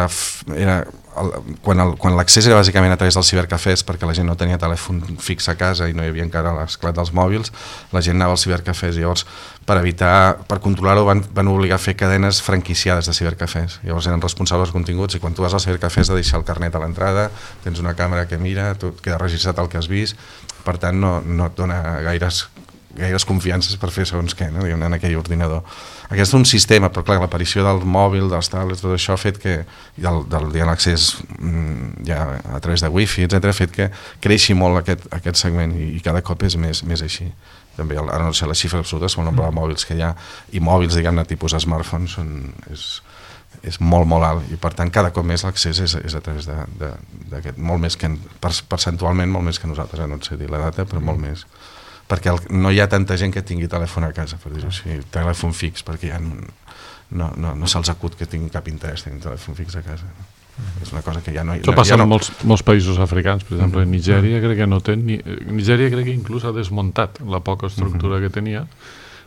[SPEAKER 4] era el, quan, el, quan l'accés era bàsicament a través dels cibercafès, perquè la gent no tenia telèfon fix a casa i no hi havia encara l'esclat dels mòbils, la gent anava als cibercafès i llavors per evitar, per controlar-ho van, van obligar a fer cadenes franquiciades de cibercafès. Llavors eren responsables dels continguts i quan tu vas al cibercafè has de deixar el carnet a l'entrada, tens una càmera que mira, tot queda registrat el que has vist, per tant no, no et dona gaires, gaires confiances per fer segons què, no? Diguem, en aquell ordinador. Aquest és un sistema, però clar, l'aparició del mòbil, dels tablets, tot això ha fet que, del, del l'accés ja a través de wifi, etcètera, ha fet que creixi molt aquest, aquest segment i, i cada cop és més, més així. També, ara no sé les xifres absolutes, el nombre de mòbils que hi ha, i mòbils, diguem-ne, tipus smartphones, són, és, és molt, molt alt, i per tant cada cop més l'accés és, és a través d'aquest, molt més que, percentualment, molt més que nosaltres, no sé dir la data, però molt més. Perquè el, no hi ha tanta gent que tingui telèfon a casa, per dir-ho així, telèfon fix, perquè ja no, no, no, no se'ls acut que tingui cap interès tenir telèfon fix a casa. Mm-hmm. És una cosa que ja no...
[SPEAKER 2] Això passa
[SPEAKER 4] ja no...
[SPEAKER 2] en molts, molts països africans, per exemple, mm-hmm. Nigèria crec que no té... Ni... Nigèria crec que inclús ha desmuntat la poca estructura mm-hmm. que tenia,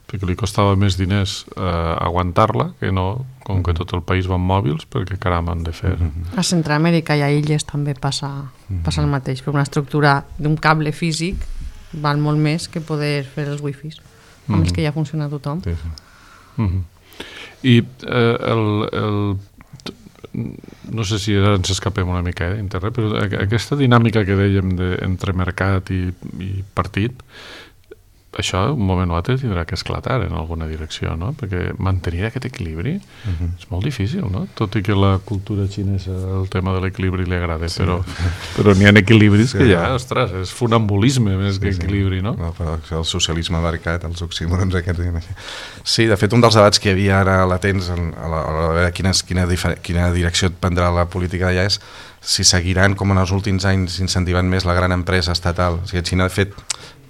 [SPEAKER 2] perquè li costava més diners eh, aguantar-la, que no, com que tot el país va amb mòbils, perquè caram han de fer.
[SPEAKER 3] Mm-hmm. A Centroamèrica i a illes també passa, mm-hmm. passa el mateix, però una estructura d'un cable físic val molt més que poder fer els wifis amb mm-hmm. els que ja funciona tothom.
[SPEAKER 2] Sí, sí. Mm-hmm. I eh, el, el no sé si ara ens escapem una mica eh, d'internet, però aquesta dinàmica que dèiem de, entre mercat i, i partit, això un moment o altre tindrà que esclatar en alguna direcció, no? Perquè mantenir aquest equilibri uh-huh. és molt difícil, no? Tot i que la cultura xinesa el tema de l'equilibri li agrada, sí. però, però n'hi ha equilibris sí, que ja, no. ostres, és funambulisme més sí, que equilibri, no?
[SPEAKER 4] no però el socialisme mercat, els oxímorons aquests... Sí, de fet, un dels debats que hi havia ara latents a l'hora de veure quina, quina, quina direcció prendrà la política d'allà és si seguiran, com en els últims anys, incentivant més la gran empresa estatal. O sigui, Xina, de fet,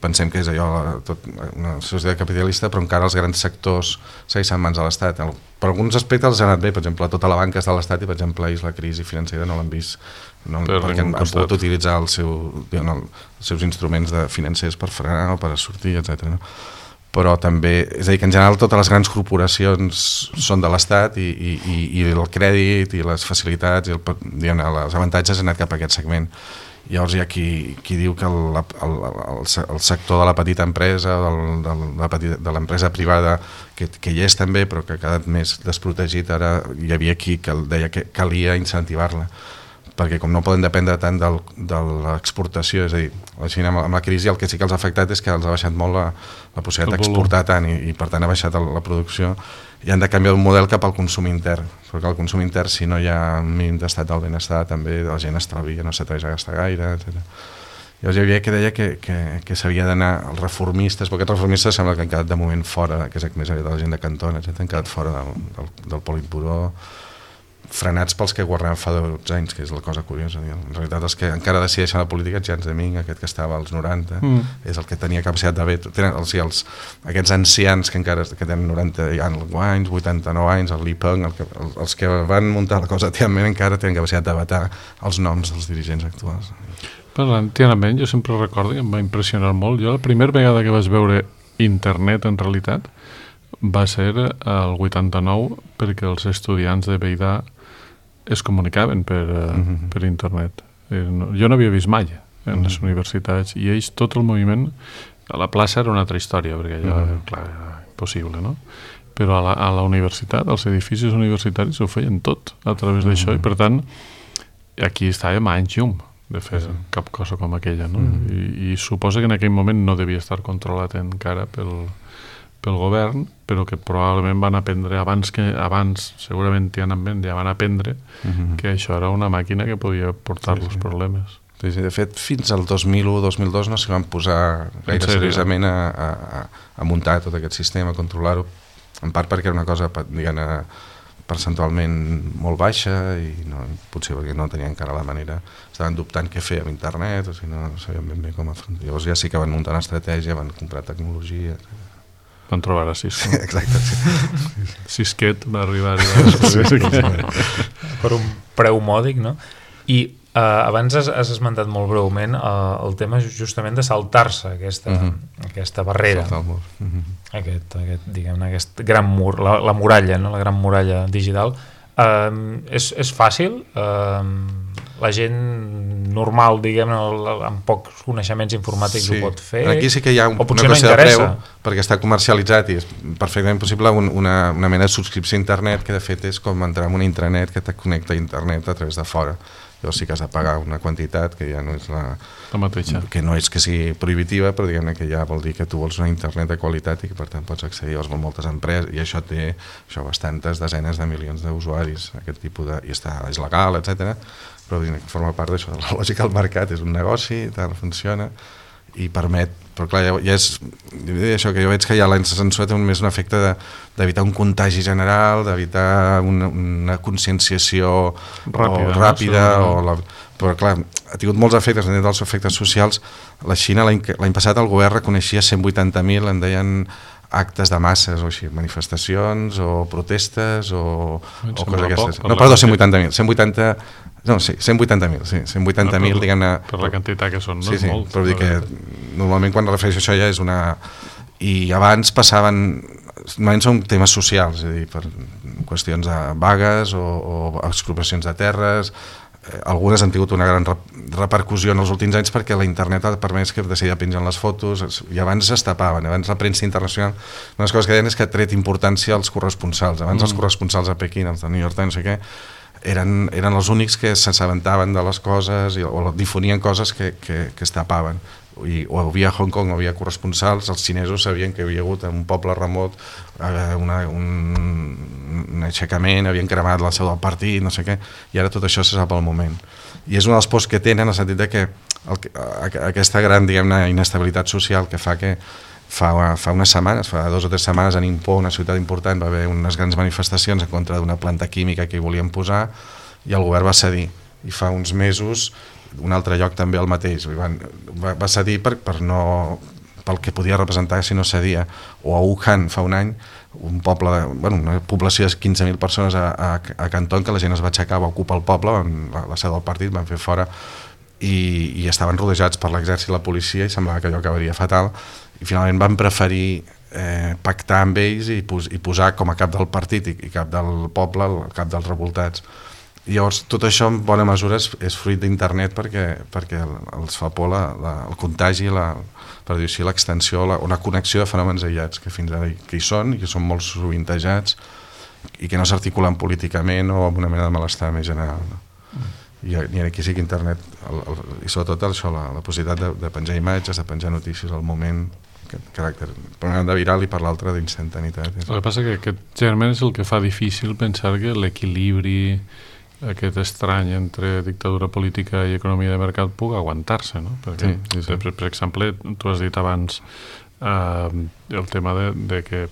[SPEAKER 4] pensem que és allò, tot, una societat capitalista, però encara els grans sectors segueixen en mans de l'Estat. Per alguns aspectes els ha anat bé, per exemple, tota la banca està de l'Estat i, per exemple, ells la crisi financera no l'han vist, no, perquè han, han pogut utilitzar el seu, diguem, el, els seus instruments de financers per frenar o per sortir, etcètera. No? Però també, és a dir, que en general totes les grans corporacions són de l'Estat i, i, i el crèdit i les facilitats i el, diguem, els avantatges han anat cap a aquest segment. Llavors hi ha qui, qui diu que el, el, el, el sector de la petita empresa, del, del, de, la petita, de l'empresa privada, que, que hi és també, però que ha quedat més desprotegit, ara hi havia qui que deia que calia incentivar-la, perquè com no poden dependre tant del, de l'exportació, és a dir, la Xina amb la crisi el que sí que els ha afectat és que els ha baixat molt la, la possibilitat d'exportar tant i, i per tant ha baixat el, la producció i han de canviar un model cap al consum intern, perquè el consum intern, si no hi ha un mínim d'estat del benestar, també la gent estalvia, no s'atreveix a gastar gaire, etcètera. Llavors hi havia que deia que, que, que s'havia d'anar als reformistes, perquè aquests reformistes sembla que han quedat de moment fora, que és més aviat de la gent de Cantona, etcètera, han quedat fora del, del, del Politburó, frenats pels que governaven fa dotze anys, que és la cosa curiosa. En realitat els que encara decideixen la política, Jiang Zemin, aquest que estava als noranta, mm. és el que tenia capacitat de veto. Tenen els, els, aquests ancians que encara que tenen noranta anys, vuitanta-nou anys, el Li Peng, el que, el, els que van muntar la cosa a Tiananmen encara tenen capacitat de vetar els noms dels dirigents actuals.
[SPEAKER 2] Parlant de Tiananmen, jo sempre recordo que em va impressionar molt. Jo la primera vegada que vaig veure internet en realitat va ser el vuitanta-nou perquè els estudiants de Beidà es comunicaven per, uh, uh-huh. per internet. Eh, no, jo no havia vist mai en uh-huh. les universitats i ells, tot el moviment, a la plaça era una altra història, perquè allò uh-huh. clar, era impossible, no? Però a la, a la universitat, als edificis universitaris ho feien tot a través uh-huh. d'això i per tant aquí estàvem a anys llum de fer uh-huh. cap cosa com aquella, no? Uh-huh. I, i suposa que en aquell moment no devia estar controlat encara pel pel govern, però que probablement van aprendre abans que abans segurament Tiananmen ja van aprendre uh-huh. que això era una màquina que podia portar-los sí, sí. problemes.
[SPEAKER 4] Sí, sí, de fet, fins al dos mil u dos mil dos no s'hi van posar gaire seriosament a, a, a muntar tot aquest sistema, a controlar-ho, en part perquè era una cosa diguem, percentualment molt baixa i no, potser perquè no tenien encara la manera, estaven dubtant què fer amb internet, o sigui, no sabien ben bé com afrontar. Llavors ja sí que van muntar una estratègia, van comprar tecnologia.
[SPEAKER 2] Van trobar a Cisco.
[SPEAKER 4] Exacte, sí.
[SPEAKER 2] Cisquet va arribar a
[SPEAKER 5] per un preu mòdic, no? I uh, abans has, has esmentat molt breument uh, el tema justament de saltar-se aquesta, uh-huh. aquesta barrera.
[SPEAKER 4] Saltar el mur. Uh-huh.
[SPEAKER 5] Aquest, aquest, diguem-ne, aquest gran mur, la, la muralla, no? La gran muralla digital. Uh, és, és fàcil? Uh, la gent normal, diguem-ne, amb pocs coneixements informàtics sí. ho pot fer?
[SPEAKER 4] Aquí sí que hi ha un, una
[SPEAKER 5] qüestió
[SPEAKER 4] no de preu, perquè està comercialitzat i és perfectament possible un, una, una mena de subscripció a internet que de fet és com entrar en una intranet que te connecta a internet a través de fora. Llavors sí que has de pagar una quantitat que ja no és la,
[SPEAKER 2] la mateixa.
[SPEAKER 4] Que no és que sigui prohibitiva, però diguem-ne que ja vol dir que tu vols una internet de qualitat i que per tant pots accedir. Llavors moltes empreses, i això té això, bastantes desenes de milions d'usuaris, aquest tipus de, i està, és legal, etcètera. Però forma part d'això, de la lògica del mercat, és un negoci, tant funciona, i permet, però clar, ja, ja és això que jo veig que ja la censura té més un efecte d'evitar un contagi general, d'evitar una, una conscienciació ràpida, o, ràpida no? o la, però clar, ha tingut molts efectes, en dels efectes socials. La Xina l'any passat el govern reconeixia cent vuitanta mil, en deien actes de masses o així, manifestacions o protestes o, o coses d'aquestes. No, perdó, cent vuitanta mil, cent vuitanta no, sí, cent vuitanta mil, sí, cent vuitanta mil, no, diguem-ne...
[SPEAKER 2] Per la quantitat que són, no?
[SPEAKER 4] Sí, sí,
[SPEAKER 2] molt,
[SPEAKER 4] però dir que normalment quan refereixo això ja és una... I abans passaven... Normalment són temes socials, és a dir, per qüestions de vagues o, o expropiacions de terres. Eh, algunes han tingut una gran repercussió en els últims anys perquè la internet ha permès que de seguida pengen les fotos i abans es tapaven, abans la premsa internacional, una de les coses que deien és que ha tret importància als corresponsals. Abans mm. els corresponsals a Pequín, els de New York Times, no sé què, eren, eren els únics que s'assabentaven de les coses i, o difonien coses que, que, que es tapaven. I, o havia a Hong Kong, o havia corresponsals, els xinesos sabien que havia hagut en un poble remot eh, una, un, un aixecament, havien cremat la seu del partit, no sé què, i ara tot això se sap al moment. I és un dels pors que tenen, en el sentit de que el, aquesta gran, diguem-ne, inestabilitat social que fa que Fa, fa unes setmanes, fa dues o tres setmanes a Ningpo, una ciutat important, va haver unes grans manifestacions en contra d'una planta química que hi volien posar i el govern va cedir. I fa uns mesos, un altre lloc també el mateix, van, va, va cedir per, per no, pel que podia representar si no cedia. O a Wuhan fa un any, un poble de, bueno, una població de quinze mil persones a, a, a Canton, que la gent es va aixecar, va ocupar el poble, la, la seu del partit, van fer fora i, i estaven rodejats per l'exèrcit i la policia i semblava que allò acabaria fatal. I finalment van preferir eh, pactar amb ells i, pos, i posar com a cap del partit i, i cap del poble, el cap dels revoltats. I llavors tot això en bona mesura és, és fruit d'internet perquè, perquè els fa por la, la, el contagi, la, per dir així, l'extensió, la, una connexió de fenòmens aïllats que fins ara que hi són i que són molt sovintejats i que no s'articulen políticament o amb una mena de malestar més general. No? Mm. I, i aquí sí que internet, el, el, i sobretot això, la, la possibilitat de, de penjar imatges, de penjar notícies al moment, aquest caràcter, per una banda viral i per l'altra d'instantaneïtat.
[SPEAKER 2] El que passa que aquest germen és el que fa difícil pensar que l'equilibri aquest estrany entre dictadura política i economia de mercat pugui aguantar-se, no? Perquè, sí, sí, sí. Per, per exemple, tu has dit abans eh, el tema de, de que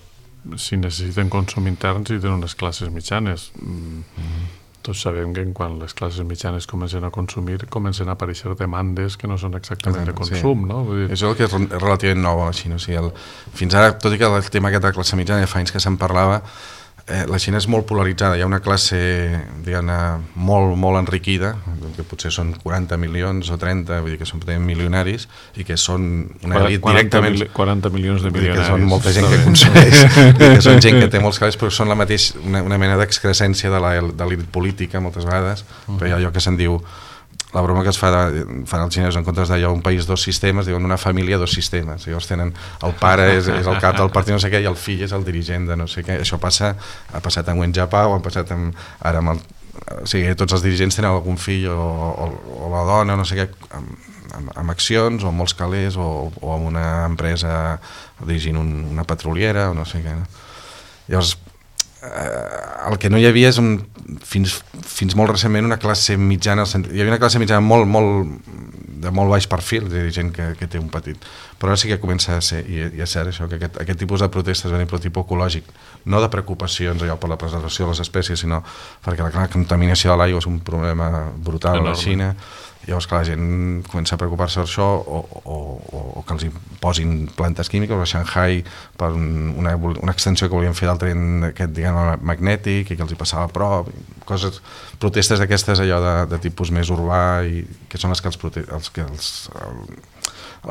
[SPEAKER 2] si necessiten consum intern si tenen unes classes mitjanes. Mm. Mm-hmm. Tots sabem que quan les classes mitjanes comencen a consumir comencen a aparèixer demandes que no són exactament de consum, sí. No? Vull dir...
[SPEAKER 4] Això és el que és relativament nou a la Xina. O sigui, el... Fins ara, tot i que el tema aquest de la classe mitjana ja fa anys que se'n parlava, eh, la Xina és molt polaritzada. Hi ha una classe, diguem-ne, molt, molt enriquida, que potser són quaranta milions o trenta, vull dir que són milionaris, i que són una elit directament...
[SPEAKER 2] quaranta milions de milionaris.
[SPEAKER 4] Que són molta gent que consumeix, que són gent que té molts calés, però són la mateix, una, una mena d'excrescència de l'elit política, moltes vegades, uh-huh. Però hi ha allò que se'n diu... La broma que es fa de, fan els xinesos en comptes d'allò un país, dos sistemes, diuen una família, dos sistemes. Llavors tenen el pare és, és el cap del partit no sé què i el fill és el dirigent de no sé què. Això passa, ha passat amb Wen Jiabao, ha passat amb, ara amb el, o sigui, tots els dirigents tenen algun fill o, o, o la dona, no sé què, amb, amb, amb accions o amb molts calés o, o amb una empresa dirigint un, una petroliera o no sé què. No? Llavors, el que no hi havia és un, fins, fins molt recentment una classe mitjana, hi havia una classe mitjana molt, molt de molt baix perfil, és a dir, gent que, que té un petit... Però ara sí que comença a ser, i, i és cert això, que aquest, aquest tipus de protestes venen per tipus ecològic, no de preocupacions allò per la preservació de les espècies, sinó perquè la, la contaminació de l'aigua és un problema brutal a la Xina. Llavors, clar, la gent comença a preocupar-se per això o, o, o, o que els posin plantes químiques. A Shanghai, per una, una extensió que volien fer del tren aquest, diguem, magnètic i que els hi passava a prop, coses, protestes d'aquestes allò de, de tipus més urbà i que són les que els, prote els, que els, el,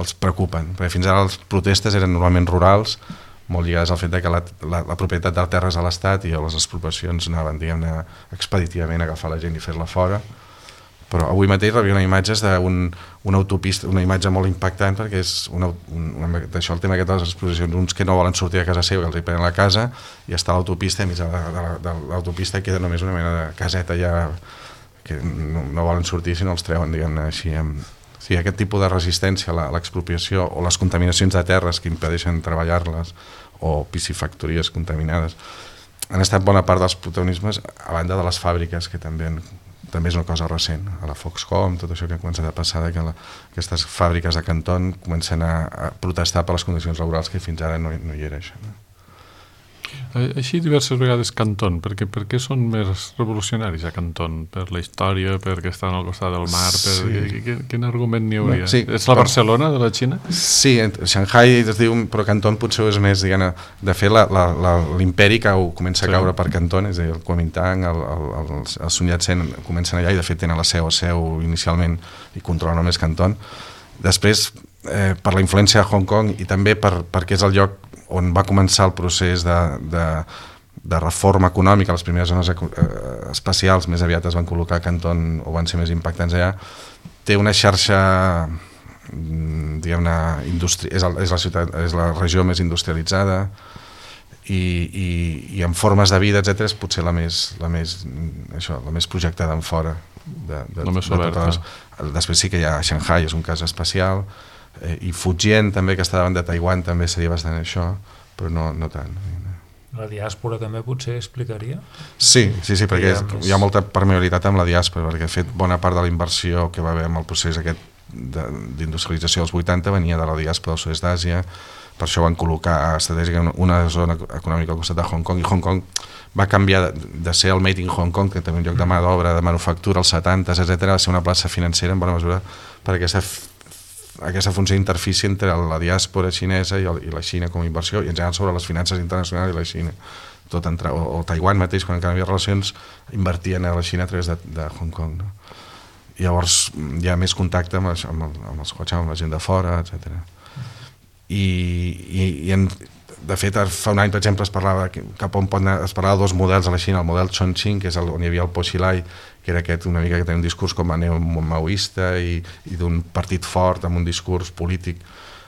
[SPEAKER 4] els preocupen. Perquè fins ara les protestes eren normalment rurals, molt lligades al fet de que la, la, la propietat de la terra és a l'Estat i les expropiacions anaven, diguem-ne, expeditivament a agafar la gent i fer-la fora. Però avui mateix rebien imatges d'una un, autopista, una imatge molt impactant perquè és una, una, d'això el tema aquest de les exposicions, uns que no volen sortir de casa seva, que els hi prenen la casa i està a l'autopista i a mig de, de, de l'autopista queda només una mena de caseta ja que no, no volen sortir si no els treuen, diguem-ne així. Amb... Sí, aquest tipus de resistència a l'expropiació o les contaminacions de terres que impedeixen treballar-les o piscifactories contaminades han estat bona part dels protagonismes a banda de les fàbriques que també han també és una cosa recent, a la Foxconn, tot això que ha començat a passar, que la, aquestes fàbriques de Canton comencen a, a protestar per les condicions laborals que fins ara no, no hi era això. No?
[SPEAKER 2] Així diverses vegades Canton, perquè per què són més revolucionaris a Canton? Per la història, perquè estan al costat del mar, per... sí. Quin, quin argument n'hi hauria? No, sí, és la Barcelona de la Xina? Sí,
[SPEAKER 4] Shanghai es diu, però Canton potser és més, diguem, de fet l'imperi que comença a caure sí. per Canton, és a dir, el Kuomintang, el, el, el, el Sun Yat-sen comencen allà i de fet tenen la seu a seu inicialment i controlen només Canton. Després, eh, per la influència de Hong Kong i també per, perquè és el lloc on va començar el procés de, de, de reforma econòmica, les primeres zones espacials més aviat es van col·locar a Canton o van ser més impactants allà, té una xarxa, diguem-ne, industri... és, el, és, la ciutat, és la regió més industrialitzada i, i, i en formes de vida, etcètera, és potser la més, la més, això, la més projectada en fora. De, de,
[SPEAKER 2] la més oberta.
[SPEAKER 4] De les... Després sí que hi ha Shanghai, és un cas especial, Eh, i Fujian també, que està davant de Taiwan, també seria bastant això, però no, no tant.
[SPEAKER 5] La diàspora també potser explicaria?
[SPEAKER 4] Sí, sí, sí, perquè és, hi ha molta permeabilitat amb la diàspora, perquè de fet bona part de la inversió que va haver amb el procés aquest d'industrialització dels vuitanta venia de la diàspora del sud-est d'Àsia, per això van col·locar estratègicament una zona econòmica al costat de Hong Kong, i Hong Kong va canviar de, de ser el Made in Hong Kong, que també un lloc de mà d'obra, de manufactura, als setanta, etcètera, a ser una plaça financera en bona mesura per aquesta aquesta funció d'interfície entre la diàspora xinesa i, el, i la Xina com a inversió i en general sobre les finances internacionals i la Xina. Tot entre, o, o Taiwan mateix, quan encara hi havia relacions, invertien a la Xina a través de, de Hong Kong. No? I llavors hi ha més contacte amb, amb, el, amb els cotxes, amb la gent de fora, etcètera. I, i, i en, de fet, fa un any, per exemple, es parlava cap on pot anar, es parlava de dos models a la Xina, el model Chongqing, que és el, on hi havia el Po Xilai, que era aquest una mica que tenia un discurs com a neo-maoista i, i d'un partit fort amb un discurs polític.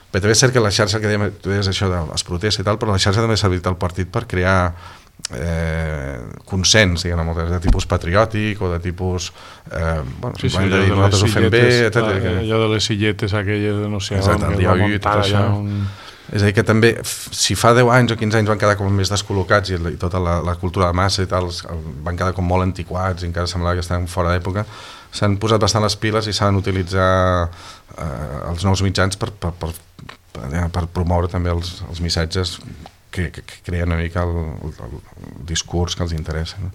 [SPEAKER 4] Però també és cert que la xarxa, que dèiem, tu deies això de les protestes i tal, però la xarxa també ha servit al partit per crear eh, consens, diguem, de tipus patriòtic o de tipus... Eh, bueno,
[SPEAKER 2] sí, sí,
[SPEAKER 4] de dir, nosaltres ho fem bé, etcètera.
[SPEAKER 2] Allò de les silletes aquelles de no sé on, que va muntar allà un...
[SPEAKER 4] És a dir, que també, si fa deu anys o quinze anys van quedar com més descol·locats i, i tota la, la cultura de massa i tal, van quedar com molt antiquats i encara semblava que estaven fora d'època, s'han posat bastant les piles i s'han d'utilitzar eh, els nous mitjans per, per, per, per, per promoure també els, els missatges que, que, que creen una mica el, el, el discurs que els interessa. No?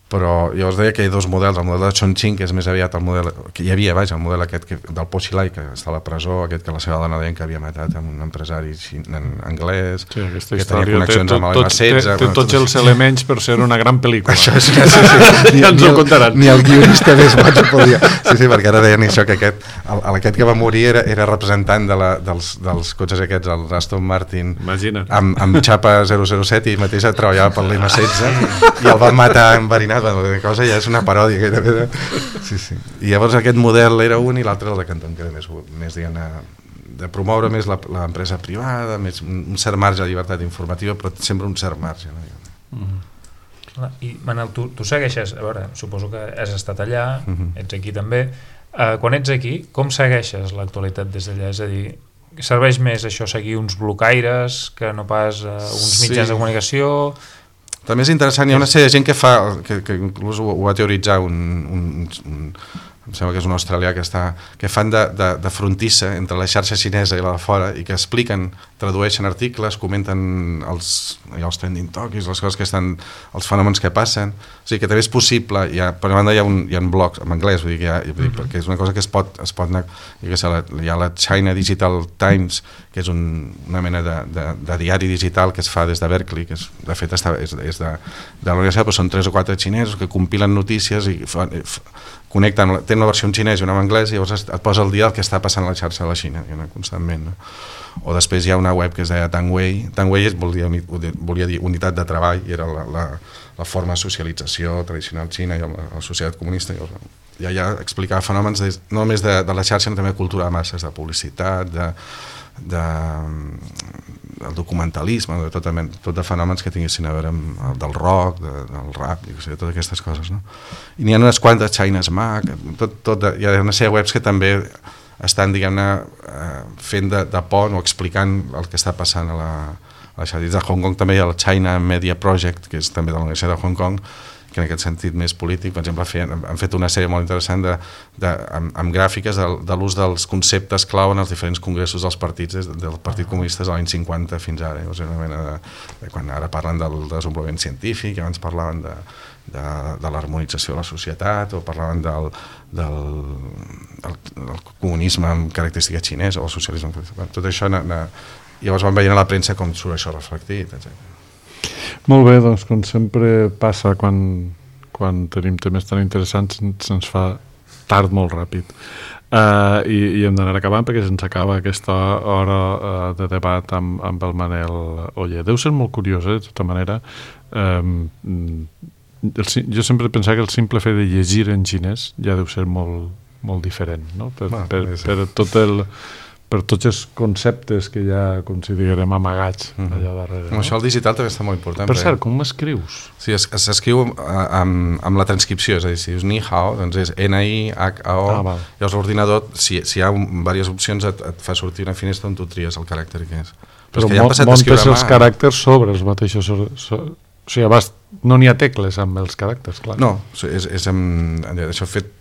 [SPEAKER 4] Però llavors deia que hi ha dos models, el model de Chongqing, que és més aviat el model que hi havia, vaja, el model aquest que, del Po Xilai, que està a la presó, aquest que la seva dona deien que havia matat amb un empresari en anglès,
[SPEAKER 2] sí,
[SPEAKER 4] que tenia connexions amb l'M setze.
[SPEAKER 2] Té, té tots els elements per ser una gran pel·lícula.
[SPEAKER 4] Això és, sí, sí, sí. Ni,
[SPEAKER 2] ja ens ho contaran.
[SPEAKER 4] Ni el guionista més boig ho podia. Sí, sí, perquè ara deien això, que aquest, el, aquest que va morir era, era representant de la, dels, dels cotxes aquests, el Aston Martin, amb, amb xapa zero zero set, i mateix treballava per l'M setze, i el van matar enverinat. La cosa ja és una paròdia gairebé. Sí, sí. I llavors aquest model era un i l'altre el de Canton, que era més, més diguem, de promoure més l'empresa privada, més, un cert marge de llibertat informativa, però sempre un cert marge. No?
[SPEAKER 5] Mm-hmm. I Manel, tu, tu segueixes, a veure, suposo que has estat allà, mm-hmm. ets aquí també. Uh, quan ets aquí, com segueixes l'actualitat des d'allà? És a dir, serveix més això seguir uns blocaires que no pas uh, uns mitjans sí. de comunicació?
[SPEAKER 4] També és interessant, hi ha una sèrie de gent que fa, que, que inclús ho, ho va teoritzar un, un, un, em sembla que és un australià que, està, que fan de, de, de frontissa entre la xarxa xinesa i la de fora i que expliquen, tradueixen articles, comenten els, els trending topics, les coses que estan, els fenòmens que passen, o sigui que també és possible, hi ha, per una banda hi ha, un, hi ha blogs en anglès, vull dir, que hi ha, vull dir, perquè és una cosa que es pot, es pot anar, hi ha la China Digital Times, que és un, una mena de, de, de diari digital que es fa des de Berkeley, que és, de fet està, és, és de, de la universitat, però són tres o quatre xinesos que compilen notícies i fan, connecten, tenen una versió en xinès i una en anglès i llavors et posa el dia el que està passant a la xarxa de la Xina, constantment, no? O després hi ha una web que es deia Tangwei. Tangwei volia, volia dir unitat de treball i era la, la, la forma de socialització tradicional xina i la, la societat comunista. I allà explicava fenòmens des, no només de, de la xarxa, sinó també de cultura de masses, de publicitat, de, de, del documentalisme, de tot, tot de fenòmens que tinguessin a veure amb el del rock, de, del rap, i sé, totes aquestes coses, no? I n'hi ha unes quantes, China's Mac, tot, tot de, hi ha una sèrie de webs que també estan, diguem-ne, eh, fent de, de pont o explicant el que està passant a la, a la xarxa. De Hong Kong també hi ha el China Media Project, que és també de la Universitat de Hong Kong, que en aquest sentit més polític, per exemple, feien, han fet una sèrie molt interessant de, de, amb, amb gràfiques de, de l'ús dels conceptes clau en els diferents congressos dels partits, des, del Partit Comunista de l'any cinquanta fins ara. O sigui, una mena de, de, quan ara parlen del desenvolupament científic, abans parlaven de, de, de l'harmonització de la societat, o parlaven del, del, del, del comunisme amb característica xinesa, o el socialisme. Tot això, na, na, llavors van veient a la premsa com surt això reflectit, etcètera.
[SPEAKER 2] Molt bé, doncs com sempre passa quan, quan tenim temes tan interessants se'ns fa tard molt ràpid uh, i, i hem d'anar acabant perquè se'ns acaba aquesta hora uh, de debat amb, amb el Manel Oller. Deu ser molt curiós, eh, de tota manera. Um, el, jo sempre pensava que el simple fet de llegir en xinès ja deu ser molt, molt diferent, no? Per, ah, per, per tot el... per tots els conceptes que ja considerem amagats mm-hmm. allà darrere.
[SPEAKER 4] No? Això el digital també està molt important.
[SPEAKER 2] Per cert, com m'escrius?
[SPEAKER 4] Sí, s'escriu amb, amb la transcripció, és a dir, si dius ni hao, doncs és ena i hac a o, ah, llavors l'ordinador, si, si hi ha diverses opcions, et, et fa sortir una finestra on tu tries el caràcter que és.
[SPEAKER 2] Però, Però ja mo montes els caràcters sobre els mateixos... So, so, o sigui, abast, no n'hi ha tecles amb els caràcters, clar.
[SPEAKER 4] No, és, és amb, això fet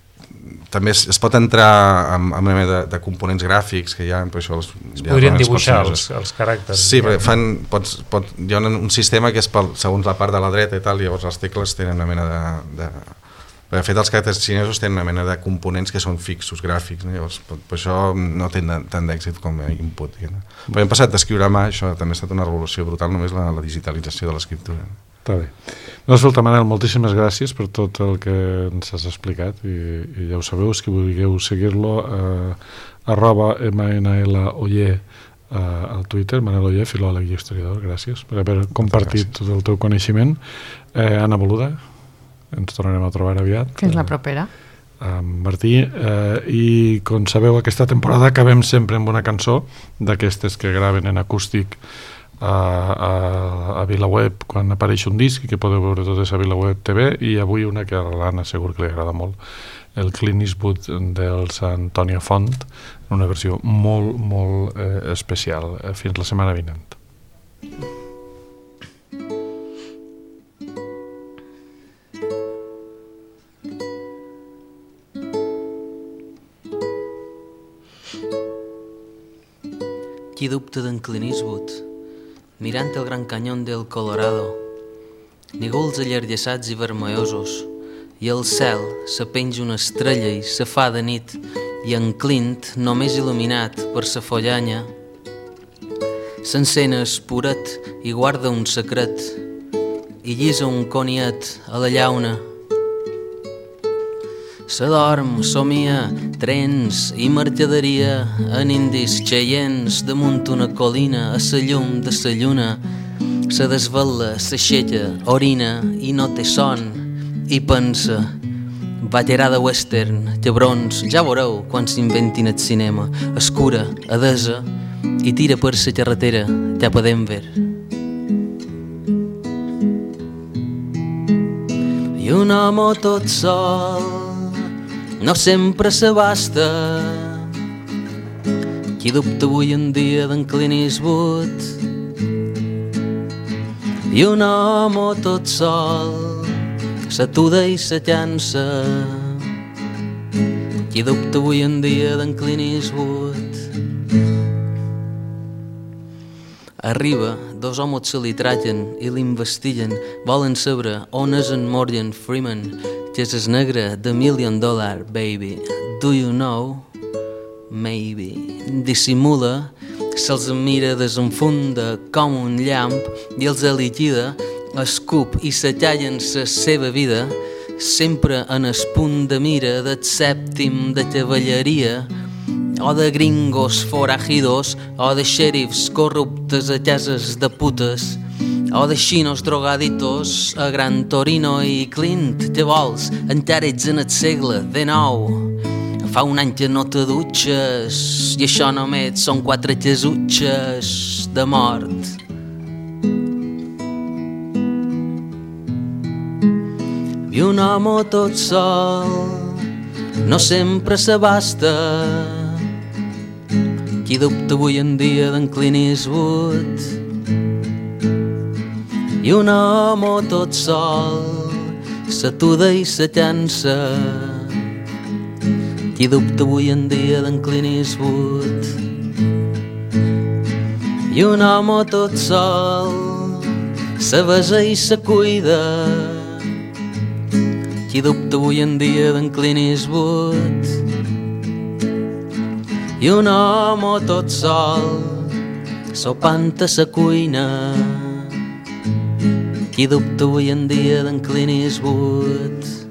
[SPEAKER 4] també es, es pot entrar amb, amb una mena de, de components gràfics que hi ha, però això els,
[SPEAKER 5] es podrien dibuixar els, els caràcters.
[SPEAKER 4] Sí, perquè fan, pots, pot, hi ha un, un sistema que és pel, segons la part de la dreta i tal, llavors les tecles tenen una mena de... de de fet, els caràcters xinesos tenen una mena de components que són fixos, gràfics, no? Llavors, per, per això no tenen tant d'èxit com a input. No? Però hem passat d'escriure a mà, això també ha estat una revolució brutal, només la, la digitalització de l'escriptura.
[SPEAKER 2] Està bé. No, escolta, Manel, moltíssimes gràcies per tot el que ens has explicat i, i ja ho sabeu, si vulgueu seguir-lo eh, arroba mnloller eh, al Twitter, Manel Oller, filòleg i historiador, gràcies per haver compartit tot el teu coneixement. eh, Anna Boluda, ens tornarem a trobar aviat.
[SPEAKER 3] Fins la propera.
[SPEAKER 2] Eh, Martí, eh, i com sabeu, aquesta temporada acabem sempre amb una cançó d'aquestes que graven en acústic A, a, a VilaWeb quan apareix un disc i que podeu veure tot a VilaWeb T V, i avui una que a l'Anna segur que li agrada molt, el Clint Eastwood dels Antònia Font, una versió molt, molt eh, especial. Fins la setmana vinent.
[SPEAKER 9] Qui dubta d'en Clint Eastwood mirant el gran canyón del Colorado, nígols allargassats i vermellosos, i al cel se penja una estrella i se fa de nit, i en Clint, només il·luminat per sa follanya, s'encén espuret i guarda un secret, i llisa un coniet a la llauna. S'adorm, somia, trens i mercaderia en indis xeients damunt una colina a sa llum de sa lluna. Se desvela, s'aixeca, orina i no té son i pensa: ballarà de western, llebrons, ja veureu quan s'inventin el cinema. Escura, adesa i tira per sa carretera cap a Denver. I un home tot sol no sempre s'abasta. Qui dubta avui en dia d'en Clint Eastwood? I un home tot sol s'atuda i se llança Qui dubta avui en dia d'en Clint Eastwood? Arriba, dos homes se li tragen i l'investiguen. Volen saber on és en Morgan Freeman, que és el negre de Million Dollar Baby. Do you know? Maybe. Dissimula, se'ls mira, desenfunda com un llamp i els liquida, escup i se tallen la seva vida, sempre en el punt de mira del sèptim de cavalleria, o de gringos forajidos, o de xèrifs corruptes a cases de putes, o de xinos drogaditos a Gran Torino i Clint. Què vols? Encara ets en el segle dinou. Fa un any que no te dutxes i això només són quatre casutxes de mort. I un home tot sol no sempre s'abasta. Qui dubta avui en dia d'en Clint Eastwood? I un home tot sol s'atuda i se cansa. Qui dubta avui en dia d'en Clint Eastwood? I un home tot sol se besa i se cuida. Qui dubta avui en dia d'en Clint Eastwood? I un home tot sol sopant a sa cuina. Qui dubta avui en dia d'en Clint Eastwood?